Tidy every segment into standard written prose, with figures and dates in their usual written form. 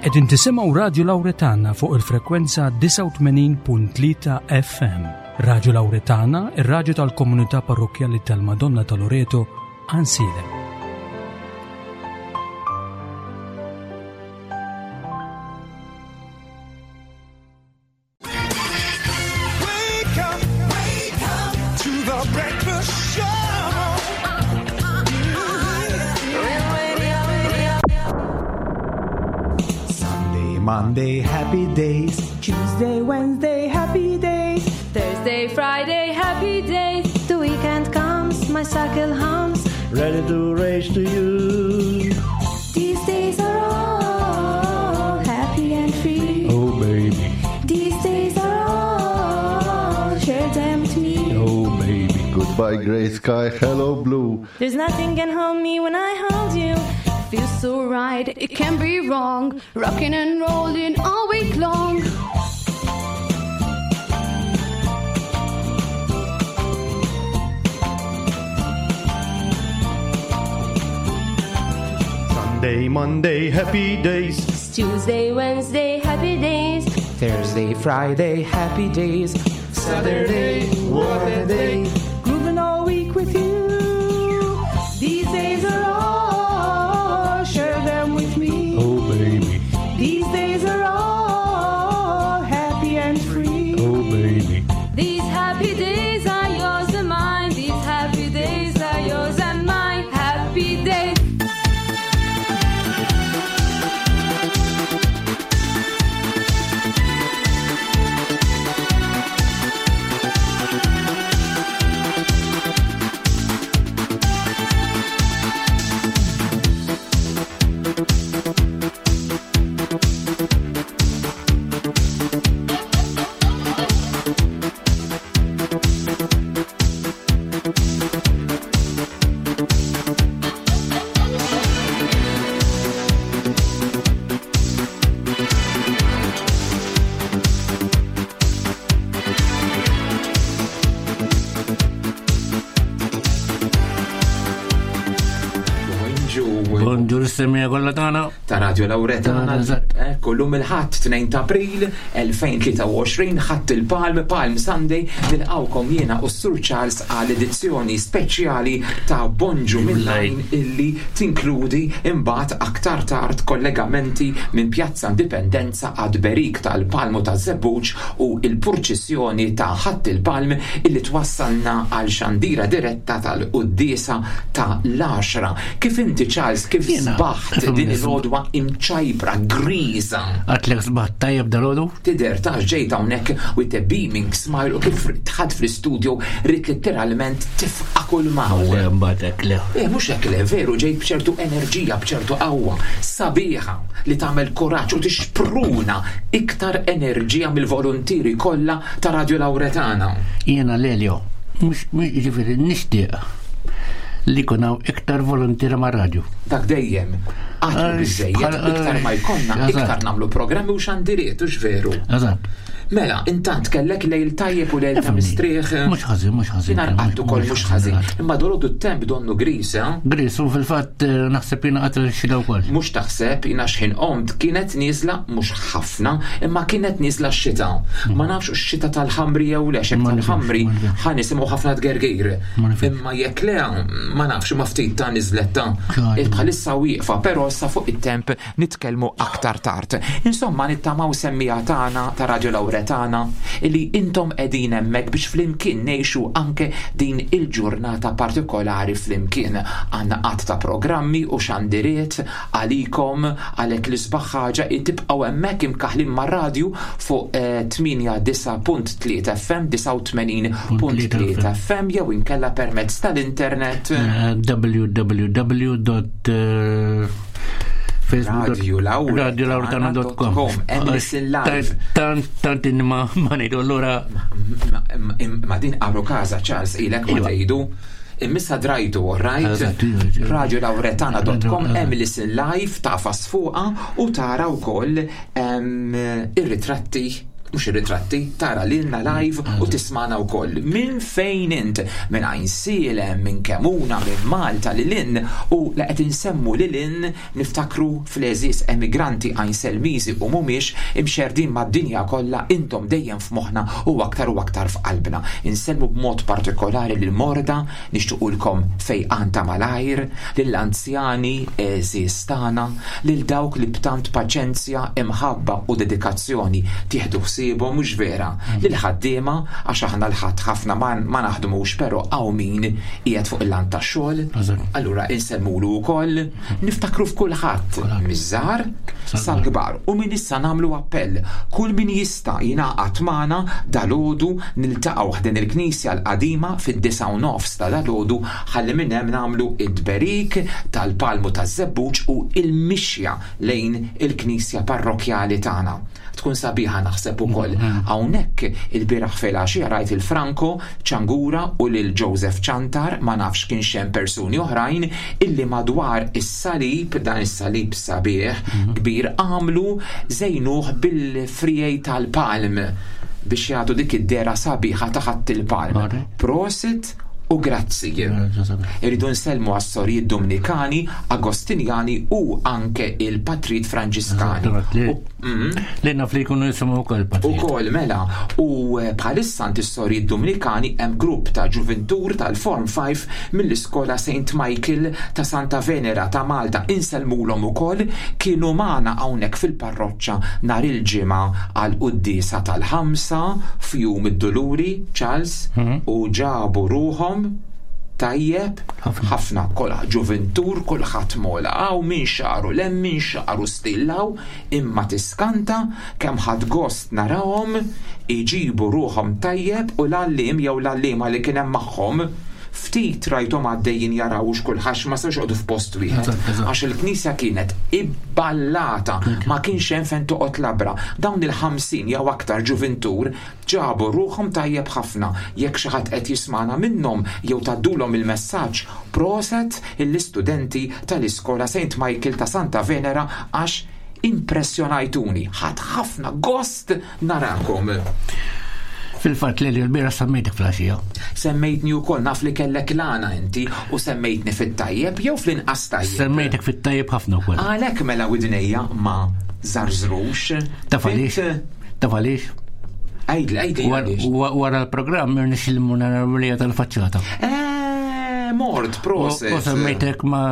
Qegħdin tisimgħu Radju Lawretana fuq il-frekwenza 89.3 FM. Radju Lawretana, ir-radju tal-komunità parrokkjali tal-Madonna ta' Loreto, Għansielem. Sunday, Monday, happy days. Tuesday, Wednesday, happy days. Thursday, Friday, happy days. The weekend comes, my cycle hums. Ready to race to you. These days are all happy and free. Oh, baby. These days are all share them with me. Oh, baby. Goodbye, gray sky. Hello, blue. There's nothing can hold me when I hold you. Feels so right, it can't be wrong. Rocking and rolling all week long. Sunday, Monday, happy days. Tuesday, Wednesday, happy days. Thursday, Friday, happy days. Saturday, what a day. Grooving all week with you. These days are all, share them with me. Oh, baby. These days are all happy and free. Oh, baby. These happy days are yours and mine. These happy days are yours and mine. Happy days. Bonġur s-semija kollha tagħna. Ta' Radio Lauretana. Eżatt. Ekku llum il-Ħadd 2 ta' April 2023 Ħadd il-Palm, Palm Sunday, nilqawkom jiena u s-Sur Charles għal edizzjoni speċjali ta' Bonġu mill-Lajn illi tinkludi imbagħad aktar tard kollegamenti minn Pjazza Indipendenza għad Berik tal-Palmu ta' Żebbuġ u il-purċissjoni ta' Ħadd il-Palm illi twassalna għal xandira diretta tal-quddiesa ta' l-10. Kif inti Charles, kif Jiena, sbaħt din il-għodwa imċajpra, griża? Għatlek sbaħt tajjeb dal-għodu? Tidher ta' ġejt hawnhekk with a beaming smile u kif tħad fl-istudio rrid letteralment tifqa' kull maw. Le, mbagħad hekk le. Eh, mhux hekk le, veru ġejt b'ċertu enerġija, b'ċertu qawwa, sabiħa li tagħmel kuraġġ u tixpruna iktar enerġija mill-volontieri kollha ta' Radio Lauretana. Jiena Lelio, mhux mhux jiġifieri nixtieq li jkun hawn iktar volontiera ma' radju. Dak dejjem. Qatt mhu Għax biżejjed, bħal- iktar ma jkollna, eżatt. iktar nagħmlu programmi u xandiriet, hux veru. Eżatt. Mela, intant kellek lejl tajjeb u lejl ta' Ifhimni. mistrieħ. Mhux ħażin, mhux ħażin. Jiena rqadt ukoll mhux ħażin. Imma dolodu t-temp donnu gris, eh? Gris, u fil-fatt eh, naħseb jiena qatel xita wkoll. Mhux taħseb jiena x'ħin qomt kienet nieżla mhux ħafna, imma kienet nieżla x-xita. Ma nafx x-xita tal-ħamri jew le, x'hekk Ma nifhimx, tal-ħamri ma nifhimx. ħa nisimgħu ħafna tgergir. Ma nifhimx. Imma jekk le, ma nafx ma ftit ta' niżlet ta' Ċar. Bħalissa wieqfa, però sa fuq it-temp nitkellmu aktar tard. Insomma, nittamaw semmija tagħna ta' Radio Lauretana illi intom qegħdin hemmhekk biex flimkien ngħixu anke din il-ġurnata partikolari flimkien. Għandna qatt ta' programmi u xandiriet għalikom għalhekk l-isbaħ ħaġa li tibqgħu hemmhekk imkaħlin mar-radju fuq eh, 89.3 FM, 89.3 FM jew inkella permezz tal-internet. Eh, www. Radiolauretana.com. radiolauretana.com Hemm listen live. Tant tant inni ma ma ngħidu allura Ma- ma- Ma din għaru kaza, Charles, ilek ma Iva. tgħidu. Immissa drajtu, all right? Eżatt, iva, iva. Radiolauretana.com Eżatt. hemm listen live tafas fuqa u tara wkoll em, ir-ritratti Mhux ir-ritratti, tara lilna live u tismana wkoll. Minn fejn int? Minn Għajnsielem, minn Kemuna, minn Malta lil hinn u la qed insemmu lil hinn niftakru fl-għeżież emigranti Għajnselmiżi u mhumiex imxerrdin mad-dinja kollha intom dejjem f'moħħna u aktar u aktar f'qalbna. Insellmu b'mod partikolari lill-morda, nixtiequlkom fejqan ta' malajr, lill-anzjani għeżież tagħna, lil dawk li b'tant paċenzja, imħabba u dedikazzjoni tieħdu ħsiebhom, mhux vera? Lill-ħaddiema, għax aħna l-Ħadd ħafna ma ma naħdmux però hawn min qiegħed fuq il-lant tax-xogħol, allura insellmulu wkoll, niftakru f'kulħadd, miż-żgħar sal-kbar. U minn issa nagħmlu appell, kull min jista' jingħaqad magħna dalgħodu niltaqgħu ħdejn il-knisja l-qadima fid-9:30 ta' dalgħodu ħalli minn hemm nagħmlu t-tberik tal-palmu taż-żebbuġ u l-mixja lejn il-knisja parrokkjali tagħna. Tkun sabiħa naħseb ukoll. Hawnhekk ilbieraħ filgħaxija rajt il Franco Ciangura u lil Joseph Ciantar, ma nafx kienx hemm persuni oħrajn, illi madwar is-salib, dan is-salib sabiħ, kbir, għamlu żejnuh bil-friegħi tal-palm biex jagħtu dik id-dehra sabiħa ta' Ħadd il-Palm. Prosit u grazzi. Irridu nsellmu għas-sorijiet Dumnikani, Agostinjani u anke il-patrijiet Franġiskani. Li naf li jkunu jisimgħu wkoll patrijiet. Ukoll mela, u eh, bħalissa għand is-sorijiet Dumnikani hemm grupp ta' ġuvintur tal-Form 5 mill-iskola St. Michael ta' Santa Venera ta' Malta insellmulhom ukoll kienu magħna hawnhekk fil-parroċċa nhar il-Ġimgħa għall-quddiesa tal-ħamsa f'Jum id-Duluri, Charles, u ġabu ruħhom tajjeb ħafna kollha ġuvintur kulħadd mola hawn min xagħru 'l hemm min xagħru still hawn imma tiskanta kemm ħadt gost narahom iġibu ruħhom tajjeb u l-għalliem jew l-għalliema li kien hemm magħhom ftit rajthom għaddejjin jaraw hux kulħadd ma setgħux joqogħdu f'post wieħed għax il-knisja kienet ibballata ma kienx hemm fejn toqgħod labra. Dawn il-50 jew aktar ġuvintur ġabu ruħhom tajjeb ħafna. Jekk xi ħadd qed jismagħna minnhom jew tgħaddulhom il-messaġġ, proset lill-istudenti tal-iskola Saint Michael ta' Santa Venera għax impressjonajtuni. Ħadt ħafna gost narakom. Fil-fatt Lelio l-bieraħ semmejtek fl-għaxija. Semmejtni wkoll naf li kellek l-għana inti u semmejtni fit-tajjeb jew fl-inqas tajjeb. Semmejtek fit-tajjeb ħafna wkoll. Għalhekk mela widnejja ma żarżrux. Taf għaliex? Taf għaliex? Għidli, għidli għaliex. Wara l-programm irnexxieli mmur nara l-wirja tal-faċċata. Eh, mort, proset. U semmejtek ma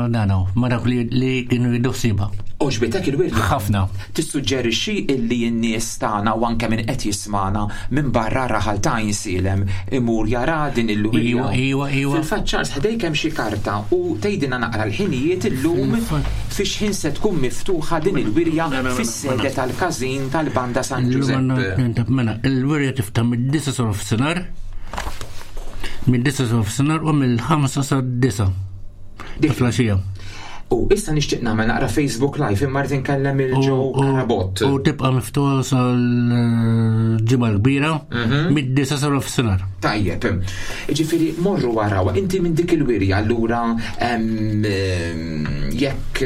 danaw, ma dak li kienu jiddu ħsiebha. Għoġbitek il-wirja? Ħafna. Tissuġġerixxi illi n-nies tagħna u anke min qed jismagħna minn barra r-raħal ta' Għajnsielem imur jara din il-wirja? Iwa, iwa, iwa. Fil-fatt Charles ħdejk hemm xi karta u tgħidilna naqra l-ħinijiet illum fi x'ħin se tkun miftuħa din il-wirja fis-sede tal-każin tal-Banda San Ġużepp. Mela, il-wirja tiftaħ mid-disgħa sa nofsinhar, mid-disgħa sa nofsinhar u mill-ħamsa sad-disgħa. Ta' flaxija. U issa nixtieq nagħmel naqra Facebook Live imma rrid inkellem il Joe Carabott. U tibqa' miftuħa sal-ġimgħa l-kbira mhm. mid-disa sa nofsinhar. Tajjeb. Ġifieri morru waraw, inti minn dik il-wirja allura jekk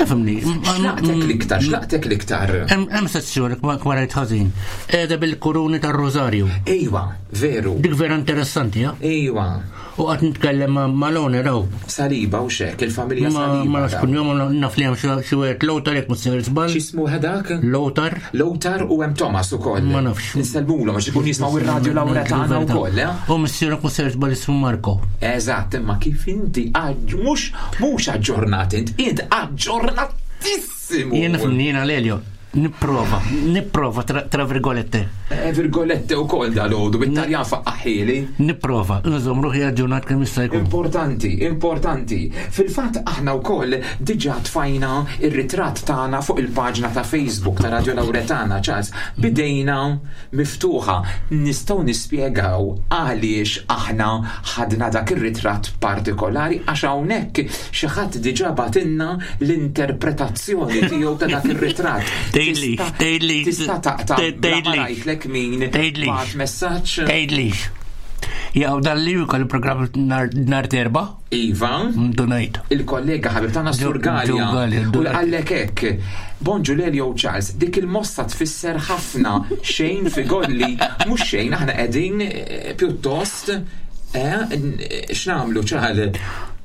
Fimni. Xlaqtek l-iktar, xlaqtek l-iktar. Hemm sezzjoni ma rajt ħażin. Qiegħda bil-kuruni tar-Rożarju. Ejwa, veru. Dik vera interessanti, ja? Ejwa. U qatt nitkellem ma' l-owner hawn. Saliba u xek, il-familja Saliba. Ma nafx kunjom, naf li hemm xi wieħed Lothar jekk mhux sejjer żball. X'ismu dak? Lothar. Lothar u hemm Thomas ukoll. Ma nafx. Insellmulhom għax ikun jismgħu ir-radju Laura tagħna wkoll, eh? U missierek mhux sejjer żball ismu Marco. Eżatt, imma kif inti mhux mhux aġġornat int, int aġġornatissimu. Jien nifhimni jiena Lelio. Nipprova, nipprova tra virgolette. Eh, virgolette u kol dal-ħodu, bit-Taljan faqqaħili. Nipprova, nżomm ruħi aġġornat kemm jista' jkun. Importanti, importanti. Fil-fatt aħna wkoll diġà tfajna ir-ritratt tagħna fuq il-paġna ta' Facebook ta' Radio Lauretana, Charles, bidejna miftuħa. Nistgħu nispjegaw għaliex aħna ħadna dak ir-ritratt partikolari għax hawnhekk xi ħadd diġà bagħtilna l-interpretazzjoni tiegħu ta' dak ir-ritratt. Tgħidlix, tgħidlix. Tista' taqta' bla ma ngħidlek min bagħat messaġġ. Tgħidlix. Jaqaw dan li jkollu programm nar terba. Iva. Donajt. Il-kollega ħabib tagħna Sur Gallia. U għallek hekk. Bonġu Lelio Charles, dik il-mossa tfisser ħafna xejn figolli, mhux xejn aħna qegħdin eh, pjuttost eh, x'nagħmlu ċal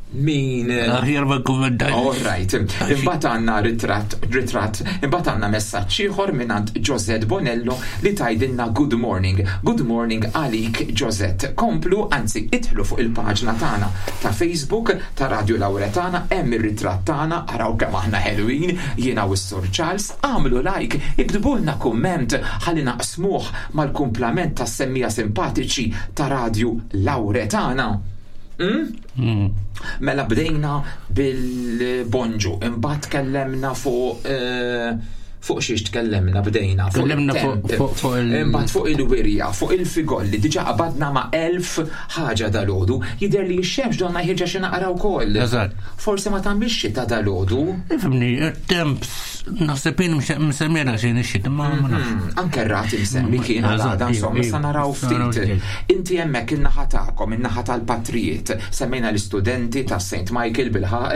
min. Eh, Aħjar ma kummentaj. All right. Imbagħad għandna ritratt, ritratt, imbagħad għandna messaġġ ieħor mingħand Josette Bonello li tgħidilna good morning. Good morning għalik Josette. Komplu, anzi idħlu fuq il-paġna tagħna ta' Facebook ta' Radio Lauretana, hemm ir-ritratt tagħna, araw kemm aħna ħelwin, jiena u s-Sur Charles, agħmlu like, iktbulna kumment ħalli naqsmuh mal-kumplament tas-semmiegħa simpatiċi ta' Radio Lauretana. Mm? Mm. Mela bdejna bil-bonġu, imbagħad tkellemna fuq eh, fuq xiex tkellemna bdejna. Tkellemna fuq il- Imbagħad fuq il-wirja, fuq il-figolli, diġà qabadna ma' elf ħaġa dalodu, jidher li x-xemx donna ħirġa xi naqra wkoll. Eżatt. Forsi ma tagħmilx xita dalodu. Ifimni, temp naħseb jien msemmira xejn ix-xita ma nafx. Mhm. Anke r-rat imsemmi kien għal insomma, sa naraw ftit. Inti hemmhekk in-naħa tagħkom, in-naħa tal-patrijiet, semmejna l-istudenti ta' St. Michael bilħaq,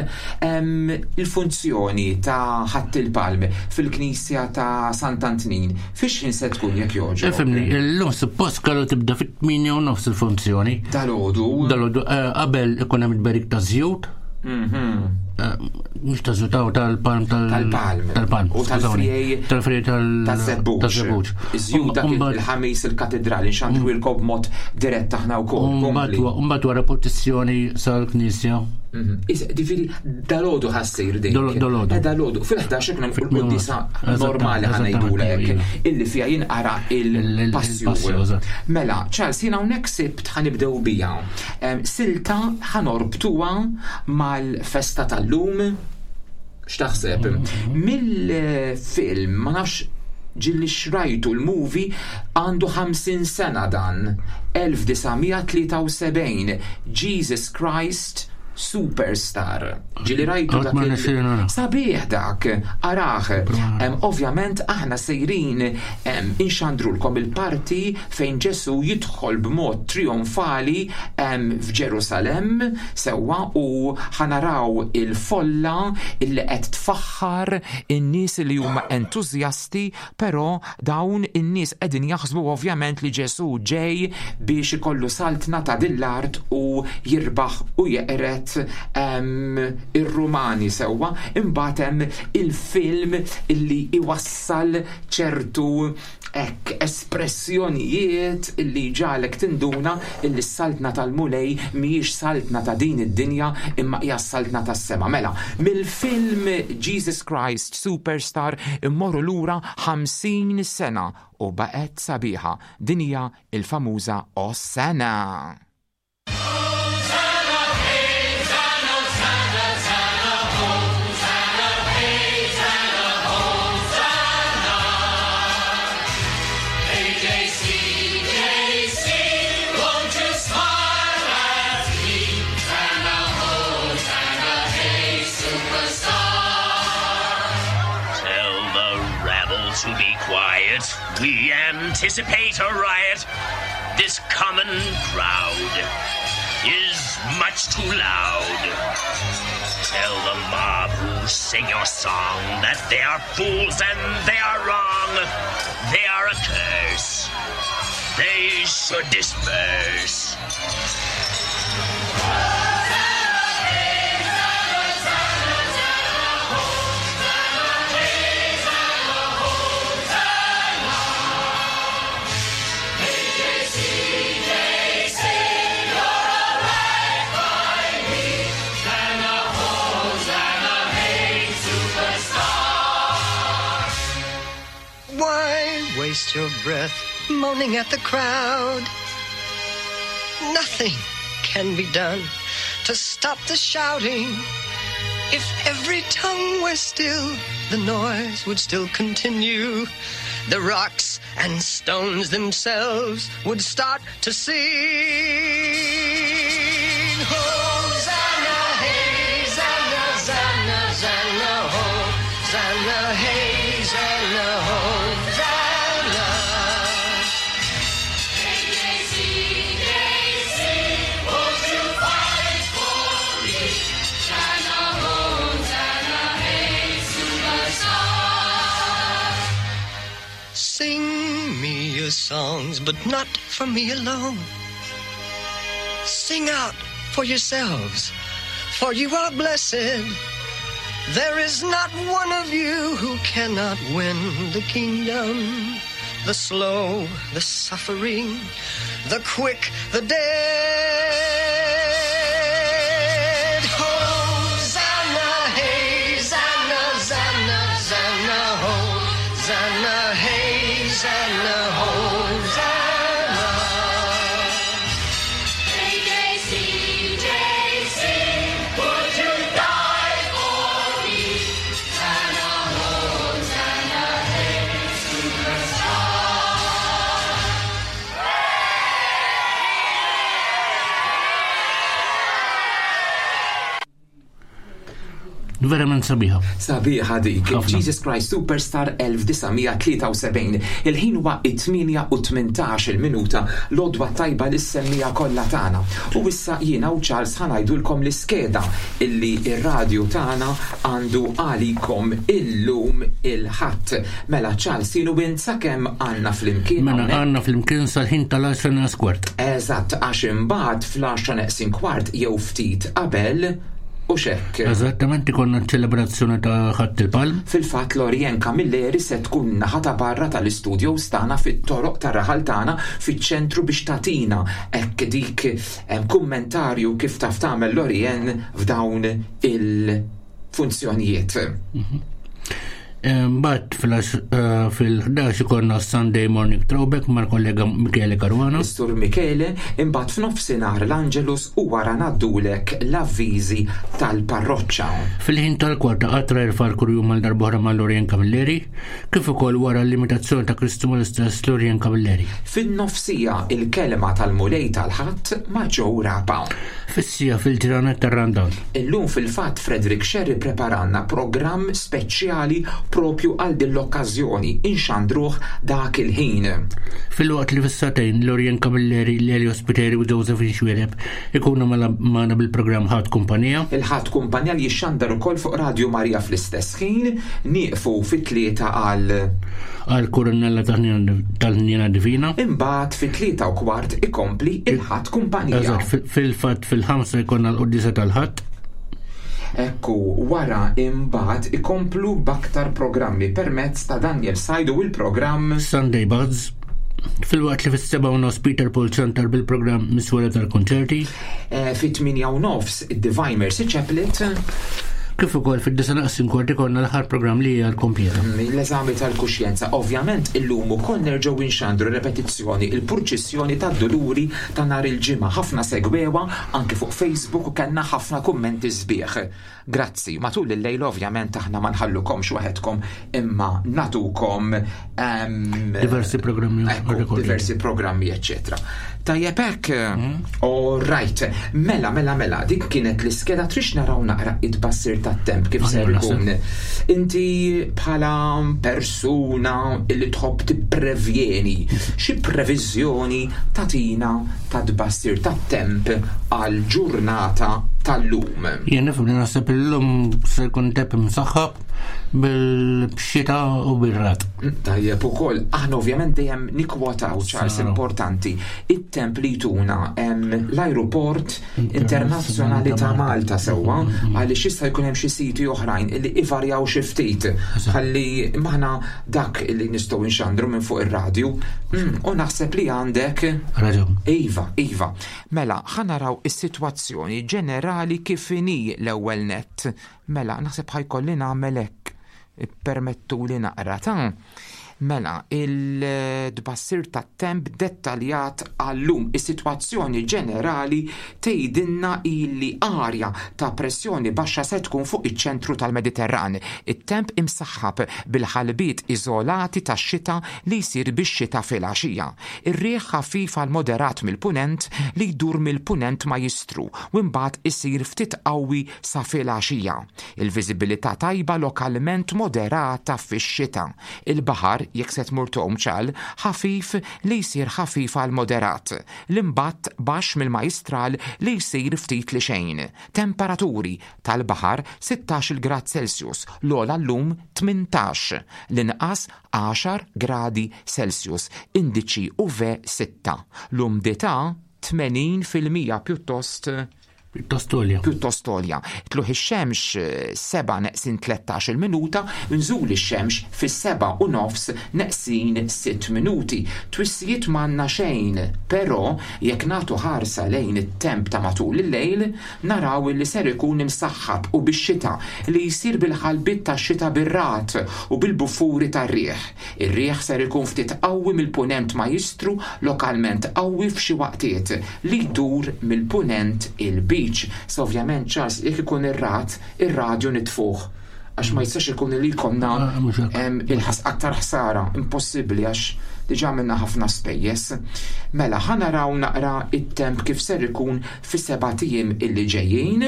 il-funzjoni ta' ħadd il-palm fil-knisja ta' Sant'Antnin, fiex ħin se tkun jekk jogħġbok? Ifimni, illum suppost kellu tibda fit-8 u nofs il-funzjoni. Dalodu. Dalodu, eh, qabel ikun hemm il-berik ta' żjut. Mhm. Eh, mhux ta' żjut tal-palm tal-palm. Tal-palm. U tal-frijej. Tal-frijej tal-żebbuġ. Tal-żebbuġ. Iż-żjut dak il-ħamis il-katedrali nxandru ilkom b'mod dirett aħna wkoll. Mbagħad wara protezzjoni sal-knisja. Mhm. Ġifieri dalodu ħassir din. Dalodu. Eh, dalodu. Fil-11 ikun hemm il-quddiesa normali ħanejdulek illi fiha jinqara il-passju. Mela, Charles, jiena hawnhekk sibt ħanibdew bija. Silta ħanorbtuha mal-festa tal-lum. X'taħseb? Mhm. Mill-film, ma nafx ġilli xrajtu l-movie għandu 50 sena dan 1973 Jesus Christ Superstar. Ġili rajtu dak. Sabiħ dak, araħ. Ovvjament aħna sejrin inxandrulkom il-parti fejn Ġesu jidħol b'mod trionfali f'Ġerusalemm sewwa u ħanaraw il-folla illi qed tfaħħar in-nies li huma entużjasti, però dawn in-nies qegħdin jaħsbu ovvjament li Ġesù ġej biex ikollu saltna ta' din l-art u jirbaħ u jeqred ir-Rumani sewwa. Imbagħad hemm il-film illi iwassal ċertu hekk espressjonijiet illi jġagħlek tinduna illi s-saltna tal-Mulej mhijiex saltna ta' din id-dinja imma hija s-saltna tas-sema. Mela, mill-film Jesus Christ Superstar immorru lura 50 sena u baqgħet sabiħa. Din hija l-famuża Ossana! To be quiet, we anticipate a riot. This common crowd is much too loud. Tell the mob who sing your song that they are fools and they are wrong. They are a curse. They should disperse. Why waste your breath moaning at the crowd? Nothing can be done to stop the shouting. If every tongue were still, the noise would still continue. The rocks and stones themselves would start to sing. Hosanna, hey, Zanna, Zanna, Zanna, Hosanna, hey, Zanna, Hosanna. songs, but not for me alone. Sing out for yourselves, for you are blessed. There is not one of you who cannot win the kingdom. The slow, the suffering, the quick, the dead. Hosanna, hey, Zanna, Zanna, Zanna, Hosanna, hey, Zanna, Hosanna. AJCJC, would you die for me? Hosanna, Hosanna, hey, superstar. Verament sabiħa. Sabiħa dik. Jesus Christ Superstar 1973. Il-ħin huwa it-8 u 18 il-minuta l-odwa tajba li semmija kollha tagħna. U issa jiena u Charles ħanajdulkom l-iskeda illi ir-radju tagħna għandu għalikom illum il-ħadd. Mela Charles jienu int sakemm għandna flimkien. Mela hawnhekk? għandna flimkien sal-ħin tal-10 neqs kwart. Eżatt, għax imbagħad fl-10 neqsin kwart jew ftit qabel u xekk. Eżattament ikonna ċelebrazzjoni ta' ħadd il-palm. Fil-fatt Lorien Camilleri se tkun naħa ta' barra tal-istudio stana fit-toroq tar-raħal tagħna fiċ-ċentru biex tatina hekk dik kummentarju kif taf tagħmel Lorien f'dawn il-funzjonijiet. Mbagħad fil-11 ikonna Sunday Morning Throwback mal-kollega Michele Caruana. Sur Michele, imbagħad f'nofsinhar l-Angelus u wara ngħaddulek l-avviżi tal-parroċċa. Fil-ħin tal-kwarta qatra jerfa' l-kurjum għal darb'oħra ma' Lorien Camilleri, kif ukoll wara l-imitazzjoni ta' Kristu mal-istess Lorien Camilleri. Fin-nofsija il-kelma tal-Mulej tal-Ħadd ma' Joe Rapa. Fis-sija fil-ġranet tar-Rundown. Illum fil-fatt Frederick Sherry preparanna programm speċjali propju għal din l-okkażjoni inxandruh dak il-ħin. Filwaqt li fis-sagħtejn Lorien Camilleri, Lelio Spiteri u Josephine Xuereb ikunu magħna bil-programm Ħadd Kumpanija. Il-Ħadd Kumpanija li jixxandar ukoll fuq Radio Maria fl-istess ħin, nieqfu fit-3 għal għal Kurunella tal-Ħniena Divina. Imbagħad fit-3:15 ikompli il-Ħadd Kumpanija. Eżatt, fil-fatt fil-5 jkollna l-quddiesa tal-Ħadd. Ekku, wara imbagħad ikomplu b'aktar programmi permezz ta' Daniel Sajdu u l-programm Sunday Buzz. Filwaqt li fis-7:30 Peter Paul Center bil-programm Miswela tal-Konċerti. Fit-8:30 id-Divine Mercy Chaplet. Kif ukoll fid-disa naqsin kwart ikollna l-aħħar programm li hija l-kompjeta. L-eżami tal-kuxjenza. Ovvjament illum ukoll nerġgħu inxandru repetizzjoni il-purċissjoni tad-Duluri ta' nhar il-Ġimgħa. Ħafna segwewa anke fuq Facebook u kellna ħafna kummenti sbieħ. Grazzi. Matul il-lejl ovvjament aħna ma nħallukomx waħedkom imma natukom diversi programmi, ekku, diversi programmi, eccetera. Tajjeb hekk, all right. Mela, mela, mela, dik kienet l-iskeda trix naraw naqra id-bassir tat-temp kif ser ikun. Inti bħala persuna li tħobb tipprevjeni, xi previżjoni tatina ta' tbassir tat-temp għal ġurnata tal-lum? Jien nifhem li naħseb illum se jkun temp imsaħħab bil-xita u bil-rat. Tajjeb ukoll, aħna ovvjament dejjem nikkwotaw Charles importanti it-temp li jtuna l-aeroport internazzjonali ta' Malta sewwa għaliex jista' jkun hemm xi siti oħrajn illi ivarjaw xi ftit ħalli maħna dak li nistgħu nxandru minn fuq ir-radju. U naħseb li għandek raġun. Iva, iva. Mela, ħa naraw is-sitwazzjoni ġenerali kif inhi l-ewwel nett. Mela, naħseb ħajkolli nagħmel hekk. Permettuli naqra ta' Mela, il-tbassir tat-temp dettaljat għallum. Is-sitwazzjoni ġenerali tgħidilna illi arja ta' pressjoni baxxa se tkun fuq iċ-ċentru tal-Mediterran. It-temp imsaħħab bil-ħalbiet iżolati tax-xita li jsir bix-xita filgħaxija. Ir-riħ ħafif għal moderat mill-punent li jdur mill-punent ma jistru u mbagħad isir ftit qawwi sa filgħaxija. Il-viżibilità tajba lokalment moderata fix-xita. Il-baħar Tal-baħar, jekk se tmur tgħum ċal, ħafif li jsir ħafif għal moderat. L-imbatt baxx mill-Majjistral li jsir ftit li xejn. Temperaturi, tal-baħar 16-il grad Celsius, l-ogħla llum 18, l-inqas 10 gradi Celsius, indiċi UV 6. L-umdità 80% pjuttost Pjuttost għolja. Pjuttost għolja. Tluħ ix-xemx 7 neqsin 13 minuta, nżul ix-xemx fis-7 u nofs neqsin 6 minuti. Twissijiet m'għandna xejn, però jekk nagħtu ħarsa lejn it-temp ta' matul il-lejl, naraw illi ser ikun imsaħħab u bix-xita li jsir bil-ħalbiet tax-xita bir-ragħad u bil-buffuri tar-riħ. Ir-riħ ser ikun ftit qawwi mill-Punent Majjistru, lokalment qawwi f'xi waqtiet, li jdur mill-Punent il-Lbiċ. Sa ovvjament Charles jekk ikun ir-ragħad, ir-radju nitfuh għax ma jistax ikun li jkollna il-ħas aktar ħsara, impossibbli għax diġà għamilna ħafna spejjeż. Mela ħa naraw naqra it-temp kif ser ikun fis-sebat ijiem illi ġejjin.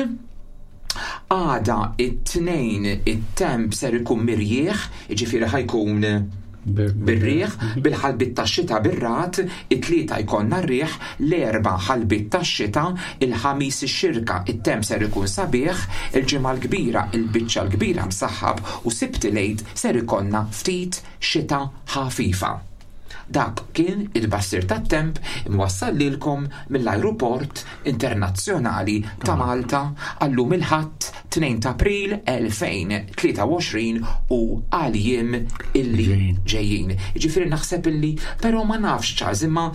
Għada it-Tnejn it-temp ser ikun mirjieħ, jiġifieri ħa jkun bir-riħ, bil-ħalbiet tax-xita bir-ragħad, it-Tlieta jkollna r-riħ, l-Erbgħa ħalbiet tax-xita, il-Ħamis ix-Xirka it-temp ser ikun sabiħ, il-Ġimgħa l-Kbira il-biċċa l-kbira msaħħab u Sibt il-Għid ser ikollna ftit xita ħafifa. Dak kien it-tbassir tat-temp imwassal lilkom mill-Ajruport Internazzjonali ta' Malta għal-lum il-Ħadd 2 ta' April 2023 u għal jiem illi ġejjin. Jiġifieri naħseb illi, però ma nafx Charles, imma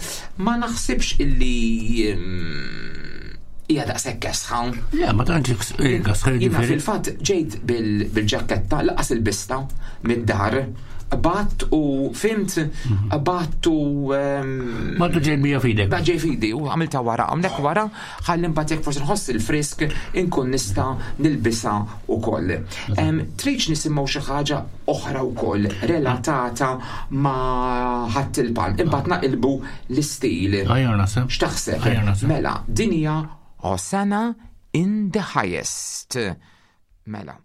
ma naħsibx illi hija daqshekk kesħa. Le, ma tantx kesħa. Jiena fil-fatt ġejt bil-ġaketta laqas il-bista mid-dar Bat u fimt, bat u. Ma tu ġej bija fidek. Ba ġej fidi u għamilta wara, għamlek wara, ħalli mbagħad jekk forsi nħoss il-frisk inkun nista' nilbisha ukoll. Tridx nisimgħu xi ħaġa oħra wkoll relatata ma' ħadd il-palm. Imbagħad naqilbu l-istil. X'taħseb? Mela, dinja Hosanna in the highest. Mela.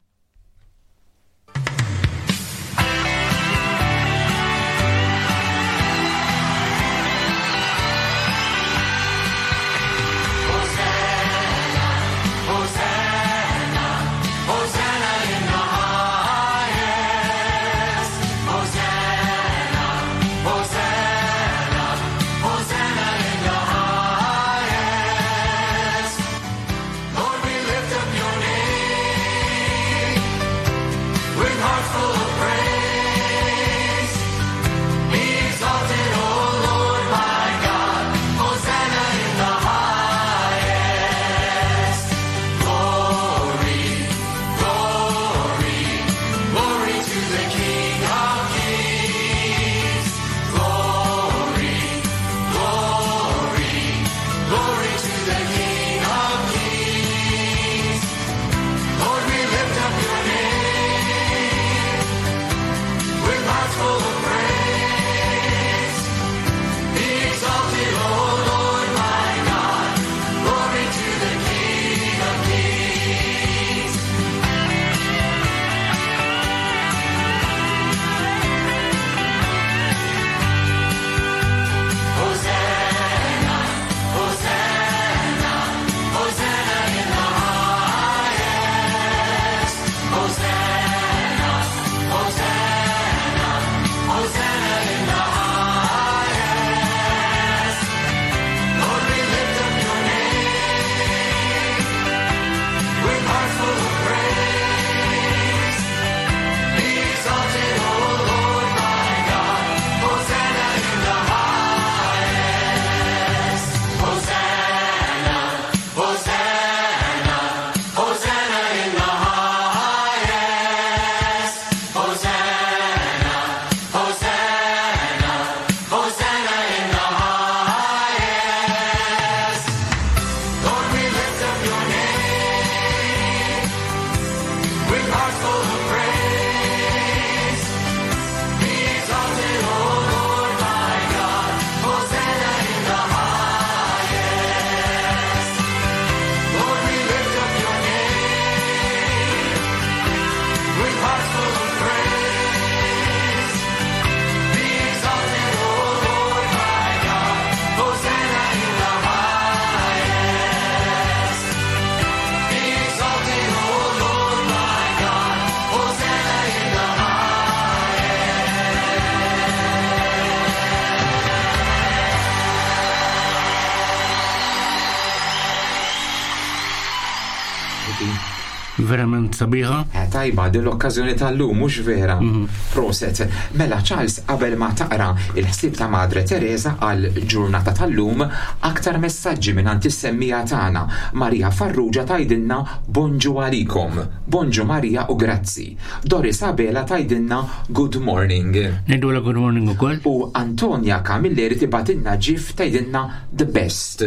Verament sabiħa. Eh, tajba, din l-okkażjoni tal-lum, mhux vera. Mhm. Proset. Mela Charles, qabel ma taqra il-ħsieb ta' Madre Teresa għal ġurnata tal-lum, aktar messaġġi minn is-semmija tagħna. Maria Farrugia tgħidilna bonġu għalikom. Bonġu Maria u grazzi. Doris Abela tgħidilna good morning. Ngħidulha good morning ukoll. U Antonia Camilleri tibgħatilna ġif tgħidilna the best.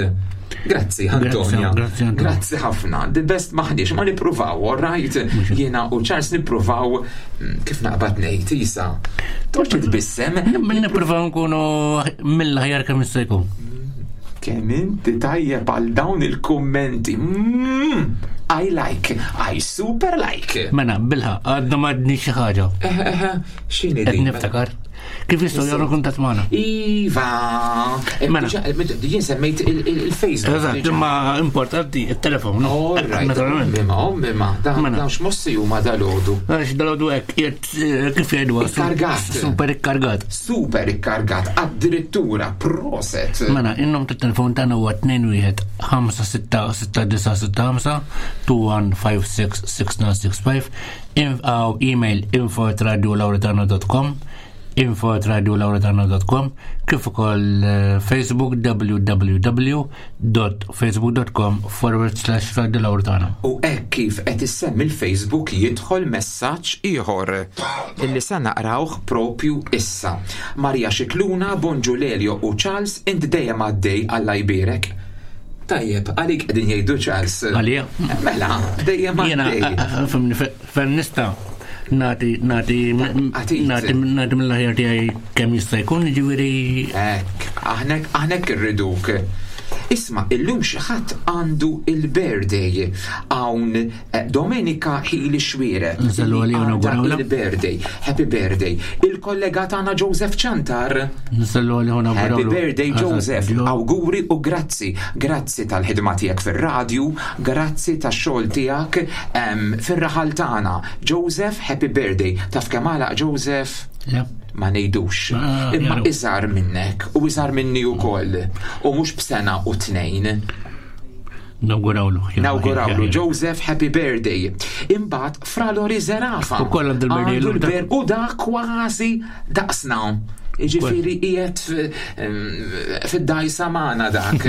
Grazzi, Antonia. Grazzi, Antonia. Grazzi ħafna. The best maħniex, ma nippruvaw, all right? Jiena u Charles nippruvaw kif naqbad ngħid, isa. Torċi tbissem. Nippruvaw nkunu mill-aħjar kemm jista' jkun. Kemm inti tajjeb għal dawn il-kummenti. I like, I super like. Mela, bilħa, għadna ma għadni xi ħaġa. X'inhi Qed din? niftakar. Kif jistgħu jagħmlu kuntatt magħna? Iva. Mela. Jien semmejt il-Facebook. Eżatt, imma importanti il-telefon. no? All right. Naturalment. Imma, imma, dan Mela. dan x'mossi huma dal-għodu. Għax dal-għodu hekk qiegħed kif jgħidu Ikkargat. Super ikkargat. Super ikkargat, addirittura proset. Mela, in-nom tat-telefon tagħna huwa 21 566965 21566965 aw email info@radiolauretana.com info@radiolauretana.com kif ukoll Facebook www.facebook.com forward slash Radio Lauretana. U hekk kif qed issemmi l-Facebook jidħol messaġġ ieħor illi se naqrawh propju issa. Maria Xikluna, Bonġu Lelio u Charles, int dejjem għaddej Alla jbierek. Tajjeb, għalik qegħdin jgħidu Charles. Għalija? Mela, dejjem Jiena, għaddej. fimni, fejn nista' nagħti nagħti Għatit. nagħti nagħti mill-aħjar tiegħi kemm jista' jkun, jiġifieri Hekk, aħnek aħnek irriduk. Isma, illum xi ħadd għandu il-birthday hawn Domenica Hili Xwire. Nsellu għalija u Għandha nawgurawlha. Il-birthday, happy birthday. Il-kollega tagħna Joseph Ciantar. Nsellu għalija u Happy nawgurawlu. birthday Eżatt, Joseph, ġo. auguri u grazzi. Grazzi tal-ħidma tiegħek fir-radju, grazzi tax-xogħol tiegħek fir-raħal tagħna. Joseph, happy birthday. Taf kemm għalaq Joseph? Le. Ma ngħidux. Ah, Imma jaru. iżgħar minnek u iżgħar minni wkoll. U mhux b'sena u tnejn. Nawgurawlu. Nawgurawlu Joseph, happy birthday. Imbagħad Fra Lori Zerafa. Ukoll għandu l-birthday Għandu illum, l-ber u da kważi daqsna. Ġifieri qiegħed fid-dajsa magħna dak.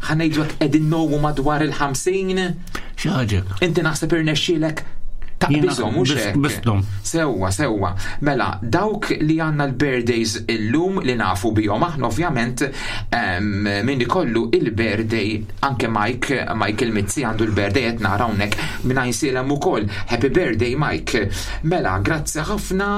Ħa ngħidu hekk qegħdin nowu madwar il-50. Xi ħaġa. Inti naħseb irnexxielek taqbiżhom mhux hekk. Bistom. Sewwa, sewwa. Mela, dawk li għandna l-birthdays illum li nafu bihom aħna ovvjament min ikollu il-birthday anke Mike, Michael Mizzi għandu l-birthday qed nara hawnhekk minn Għajnsielem ukoll. Happy birthday Mike. Mela, grazzi ħafna,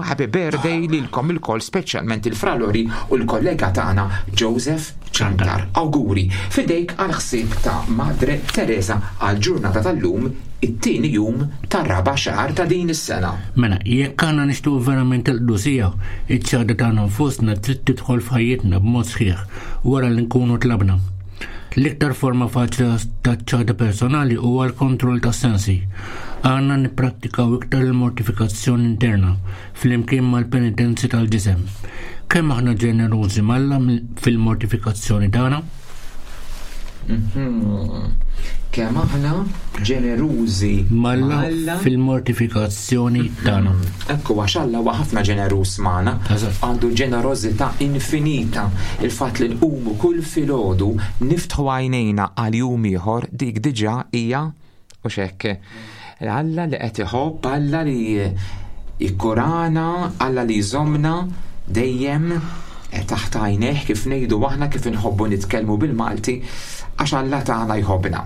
happy birthday lilkom ilkoll speċjalment il-Fralori u l-kollega tagħna Joseph Ciantar. Awguri, fidejk għal ħsieb ta' Madre Teresa għal ġurnata tal-lum it-tieni jum tar-raba' xahar ta' din is-sena. Mela, jekk aħna nixtiequ verament il-qdusija, iċ-ċaħda tagħna nfusna trid tidħol f'ħajjitna b'mod sħiħ wara li nkunu tlabna. L-iktar forma faċli ta' ċaħda personali huwa l-kontroll tas-sensi. Għandna nipprattikaw iktar il-mortifikazzjoni interna flimkien mal-penitenzi tal-ġisem. Kemm aħna ġenerużi m'Alla fil-mortifikazzjoni tagħna? Kemm aħna ġenerużi M'Alla fil-mortifikazzjoni tagħna. Ekku, għax Alla huwa ħafna ġeneruż magħna, għandu ġenerożità infinita. Il-fatt li nqumu kull filgħodu niftħu għajnejna għal jum ieħor dik diġà hija u x'hekk. Alla li qed iħobb, Alla li jikkurana, Alla li jżommna dejjem taħt għajnejh kif ngħidu aħna kif inħobbu nitkellmu bil-Malti għax Alla tagħna jħobbna.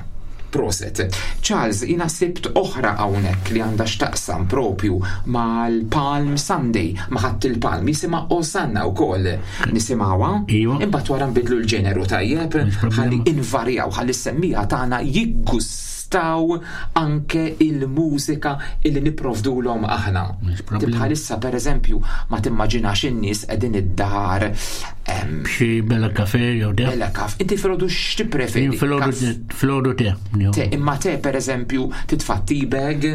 Proset. Charles, jina sibt oħra hawnhekk li għandha x'taqsam propju mal-Palm Sunday, ma' Ħadd il-Palm, jisimha Osanna wkoll. Nisimgħuha? Iva. Imbagħad wara nbidlu l-ġeneru tajjeb, ħalli invarjaw, ħalli s-semmija tagħna jiggustaw anke il-mużika illi nipprovdulhom aħna. Bħalissa pereżempju ma timmaġinax in-nies qegħdin id-dar. Xi bella kafe jew te. Bella kaf. Inti filgħodu x'tippreferi? Jien filgħodu te. Te, imma te pereżempju titfa' tea bag.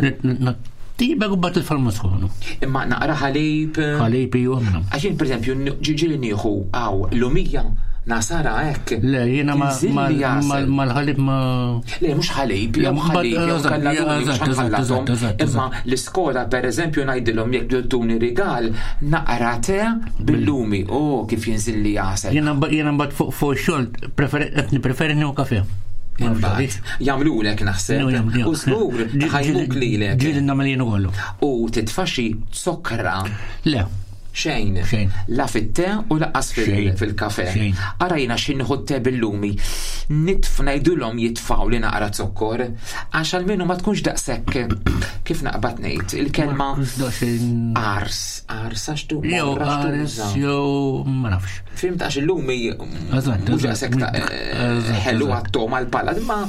Tea bag u bat il-falma sħonu. Imma naqra ħalib. Ħalib ilu għamna. Għax jien pereżempju ġieli nieħu għaw lumija Nasara hekk. Le, jiena Tinżilli għasel. mal-ħalib ma. Le, mhux ħalib, jew ħalib, jew kalladuni, mhux ħanħallathom. Imma l-iskola, per eżempju, ngħidilhom jekk tuni rigal, naqra te bil-lumi, oh, kif jinżilli għasel. Jiena mbagħad fuq fuq xogħol qed nippreferi nieħu kafe. Imbagħad jagħmlulek naħseb. U żgur ħajmuk lilek. Ġieli nagħmel jien ukoll. U titfa' xi sokra. Le. Xejn. Xejn. La fit-te u laqqas fil-kafe. Ara jiena xi nieħu te bil-lumi. Nitf ngħidulhom jitfgħu li naqra zokkor għax almenu ma tkunx daqshekk kif naqbad ngħid il-kelma ars, ars għax tu. Jew ars jew ma nafx. Fimt għax il-lumi mhux daqshekk ħelu għat-toma l-pala, imma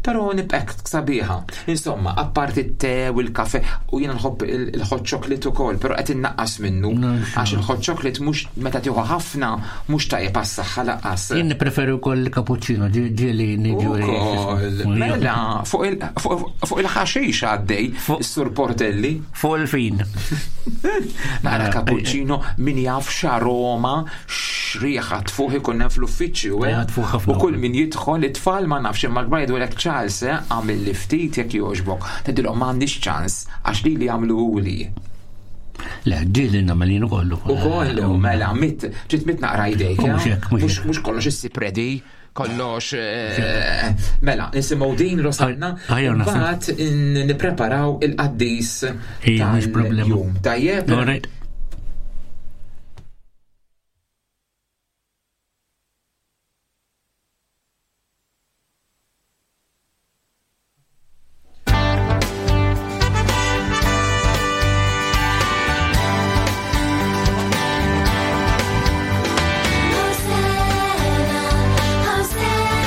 però nibqek sabiħa. Insomma, apparti t-te u l-kafe, u jiena nħobb il-hot chocolate ukoll, però qed innaqqas minnu għax il-hot chocolate mhux meta tieħu ħafna mhux tajjeb għas-saħħa lanqas. Jien nippreferi wkoll il-cappuccino, ġieli niġu. Ukoll. Mela, fuq il-ħaxix għaddej, is-Sur Portelli. Fuq il-fin. Nara cappuccino min jaf x'aroma x'riħa tfuħ ikun hemm fl-uffiċċju, eh? Tfuħ ħafna. U kull min jidħol it-tfal ma nafx imma l-kbar jgħidulek Charles, eh, għamil li ftit jekk jogħġbok. Tgħidilhom m'għandix ċans għax lili jagħmluhuli. Le, ġieli nagħmel jien ukoll. Ukoll, mela, mit, ġiet mit naqra jdejk. Mhux eh? hekk, mhux hekk. Mhux kollox issib ready kollox eh, mela nisimgħu din Rosanna Ejja, naħseb. mbagħad nippreparaw il-qaddis Ejja, mhux problema. tal-jum. Tajjeb? All right. Hosanna, Hosanna,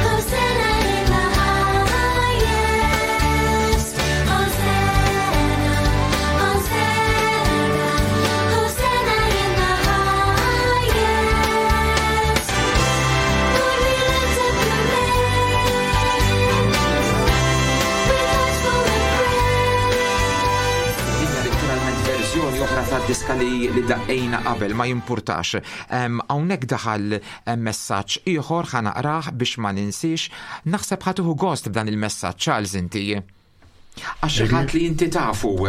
Hosanna in the highest. Hosanna, Hosanna, Hosanna in the highest. Lord, we lift up your name with hearts full of praise. Din hija letteralment verżjoni oħra ta' diska li li daqqejna qabel ma jimpurtax. Hawnhekk daħal messaġġ ieħor ħa naqrah biex ma ninsiex. Naħseb ħa tieħu gost b'dan il-messaġġ Charles inti. Għax xi ħadd li inti tafu. U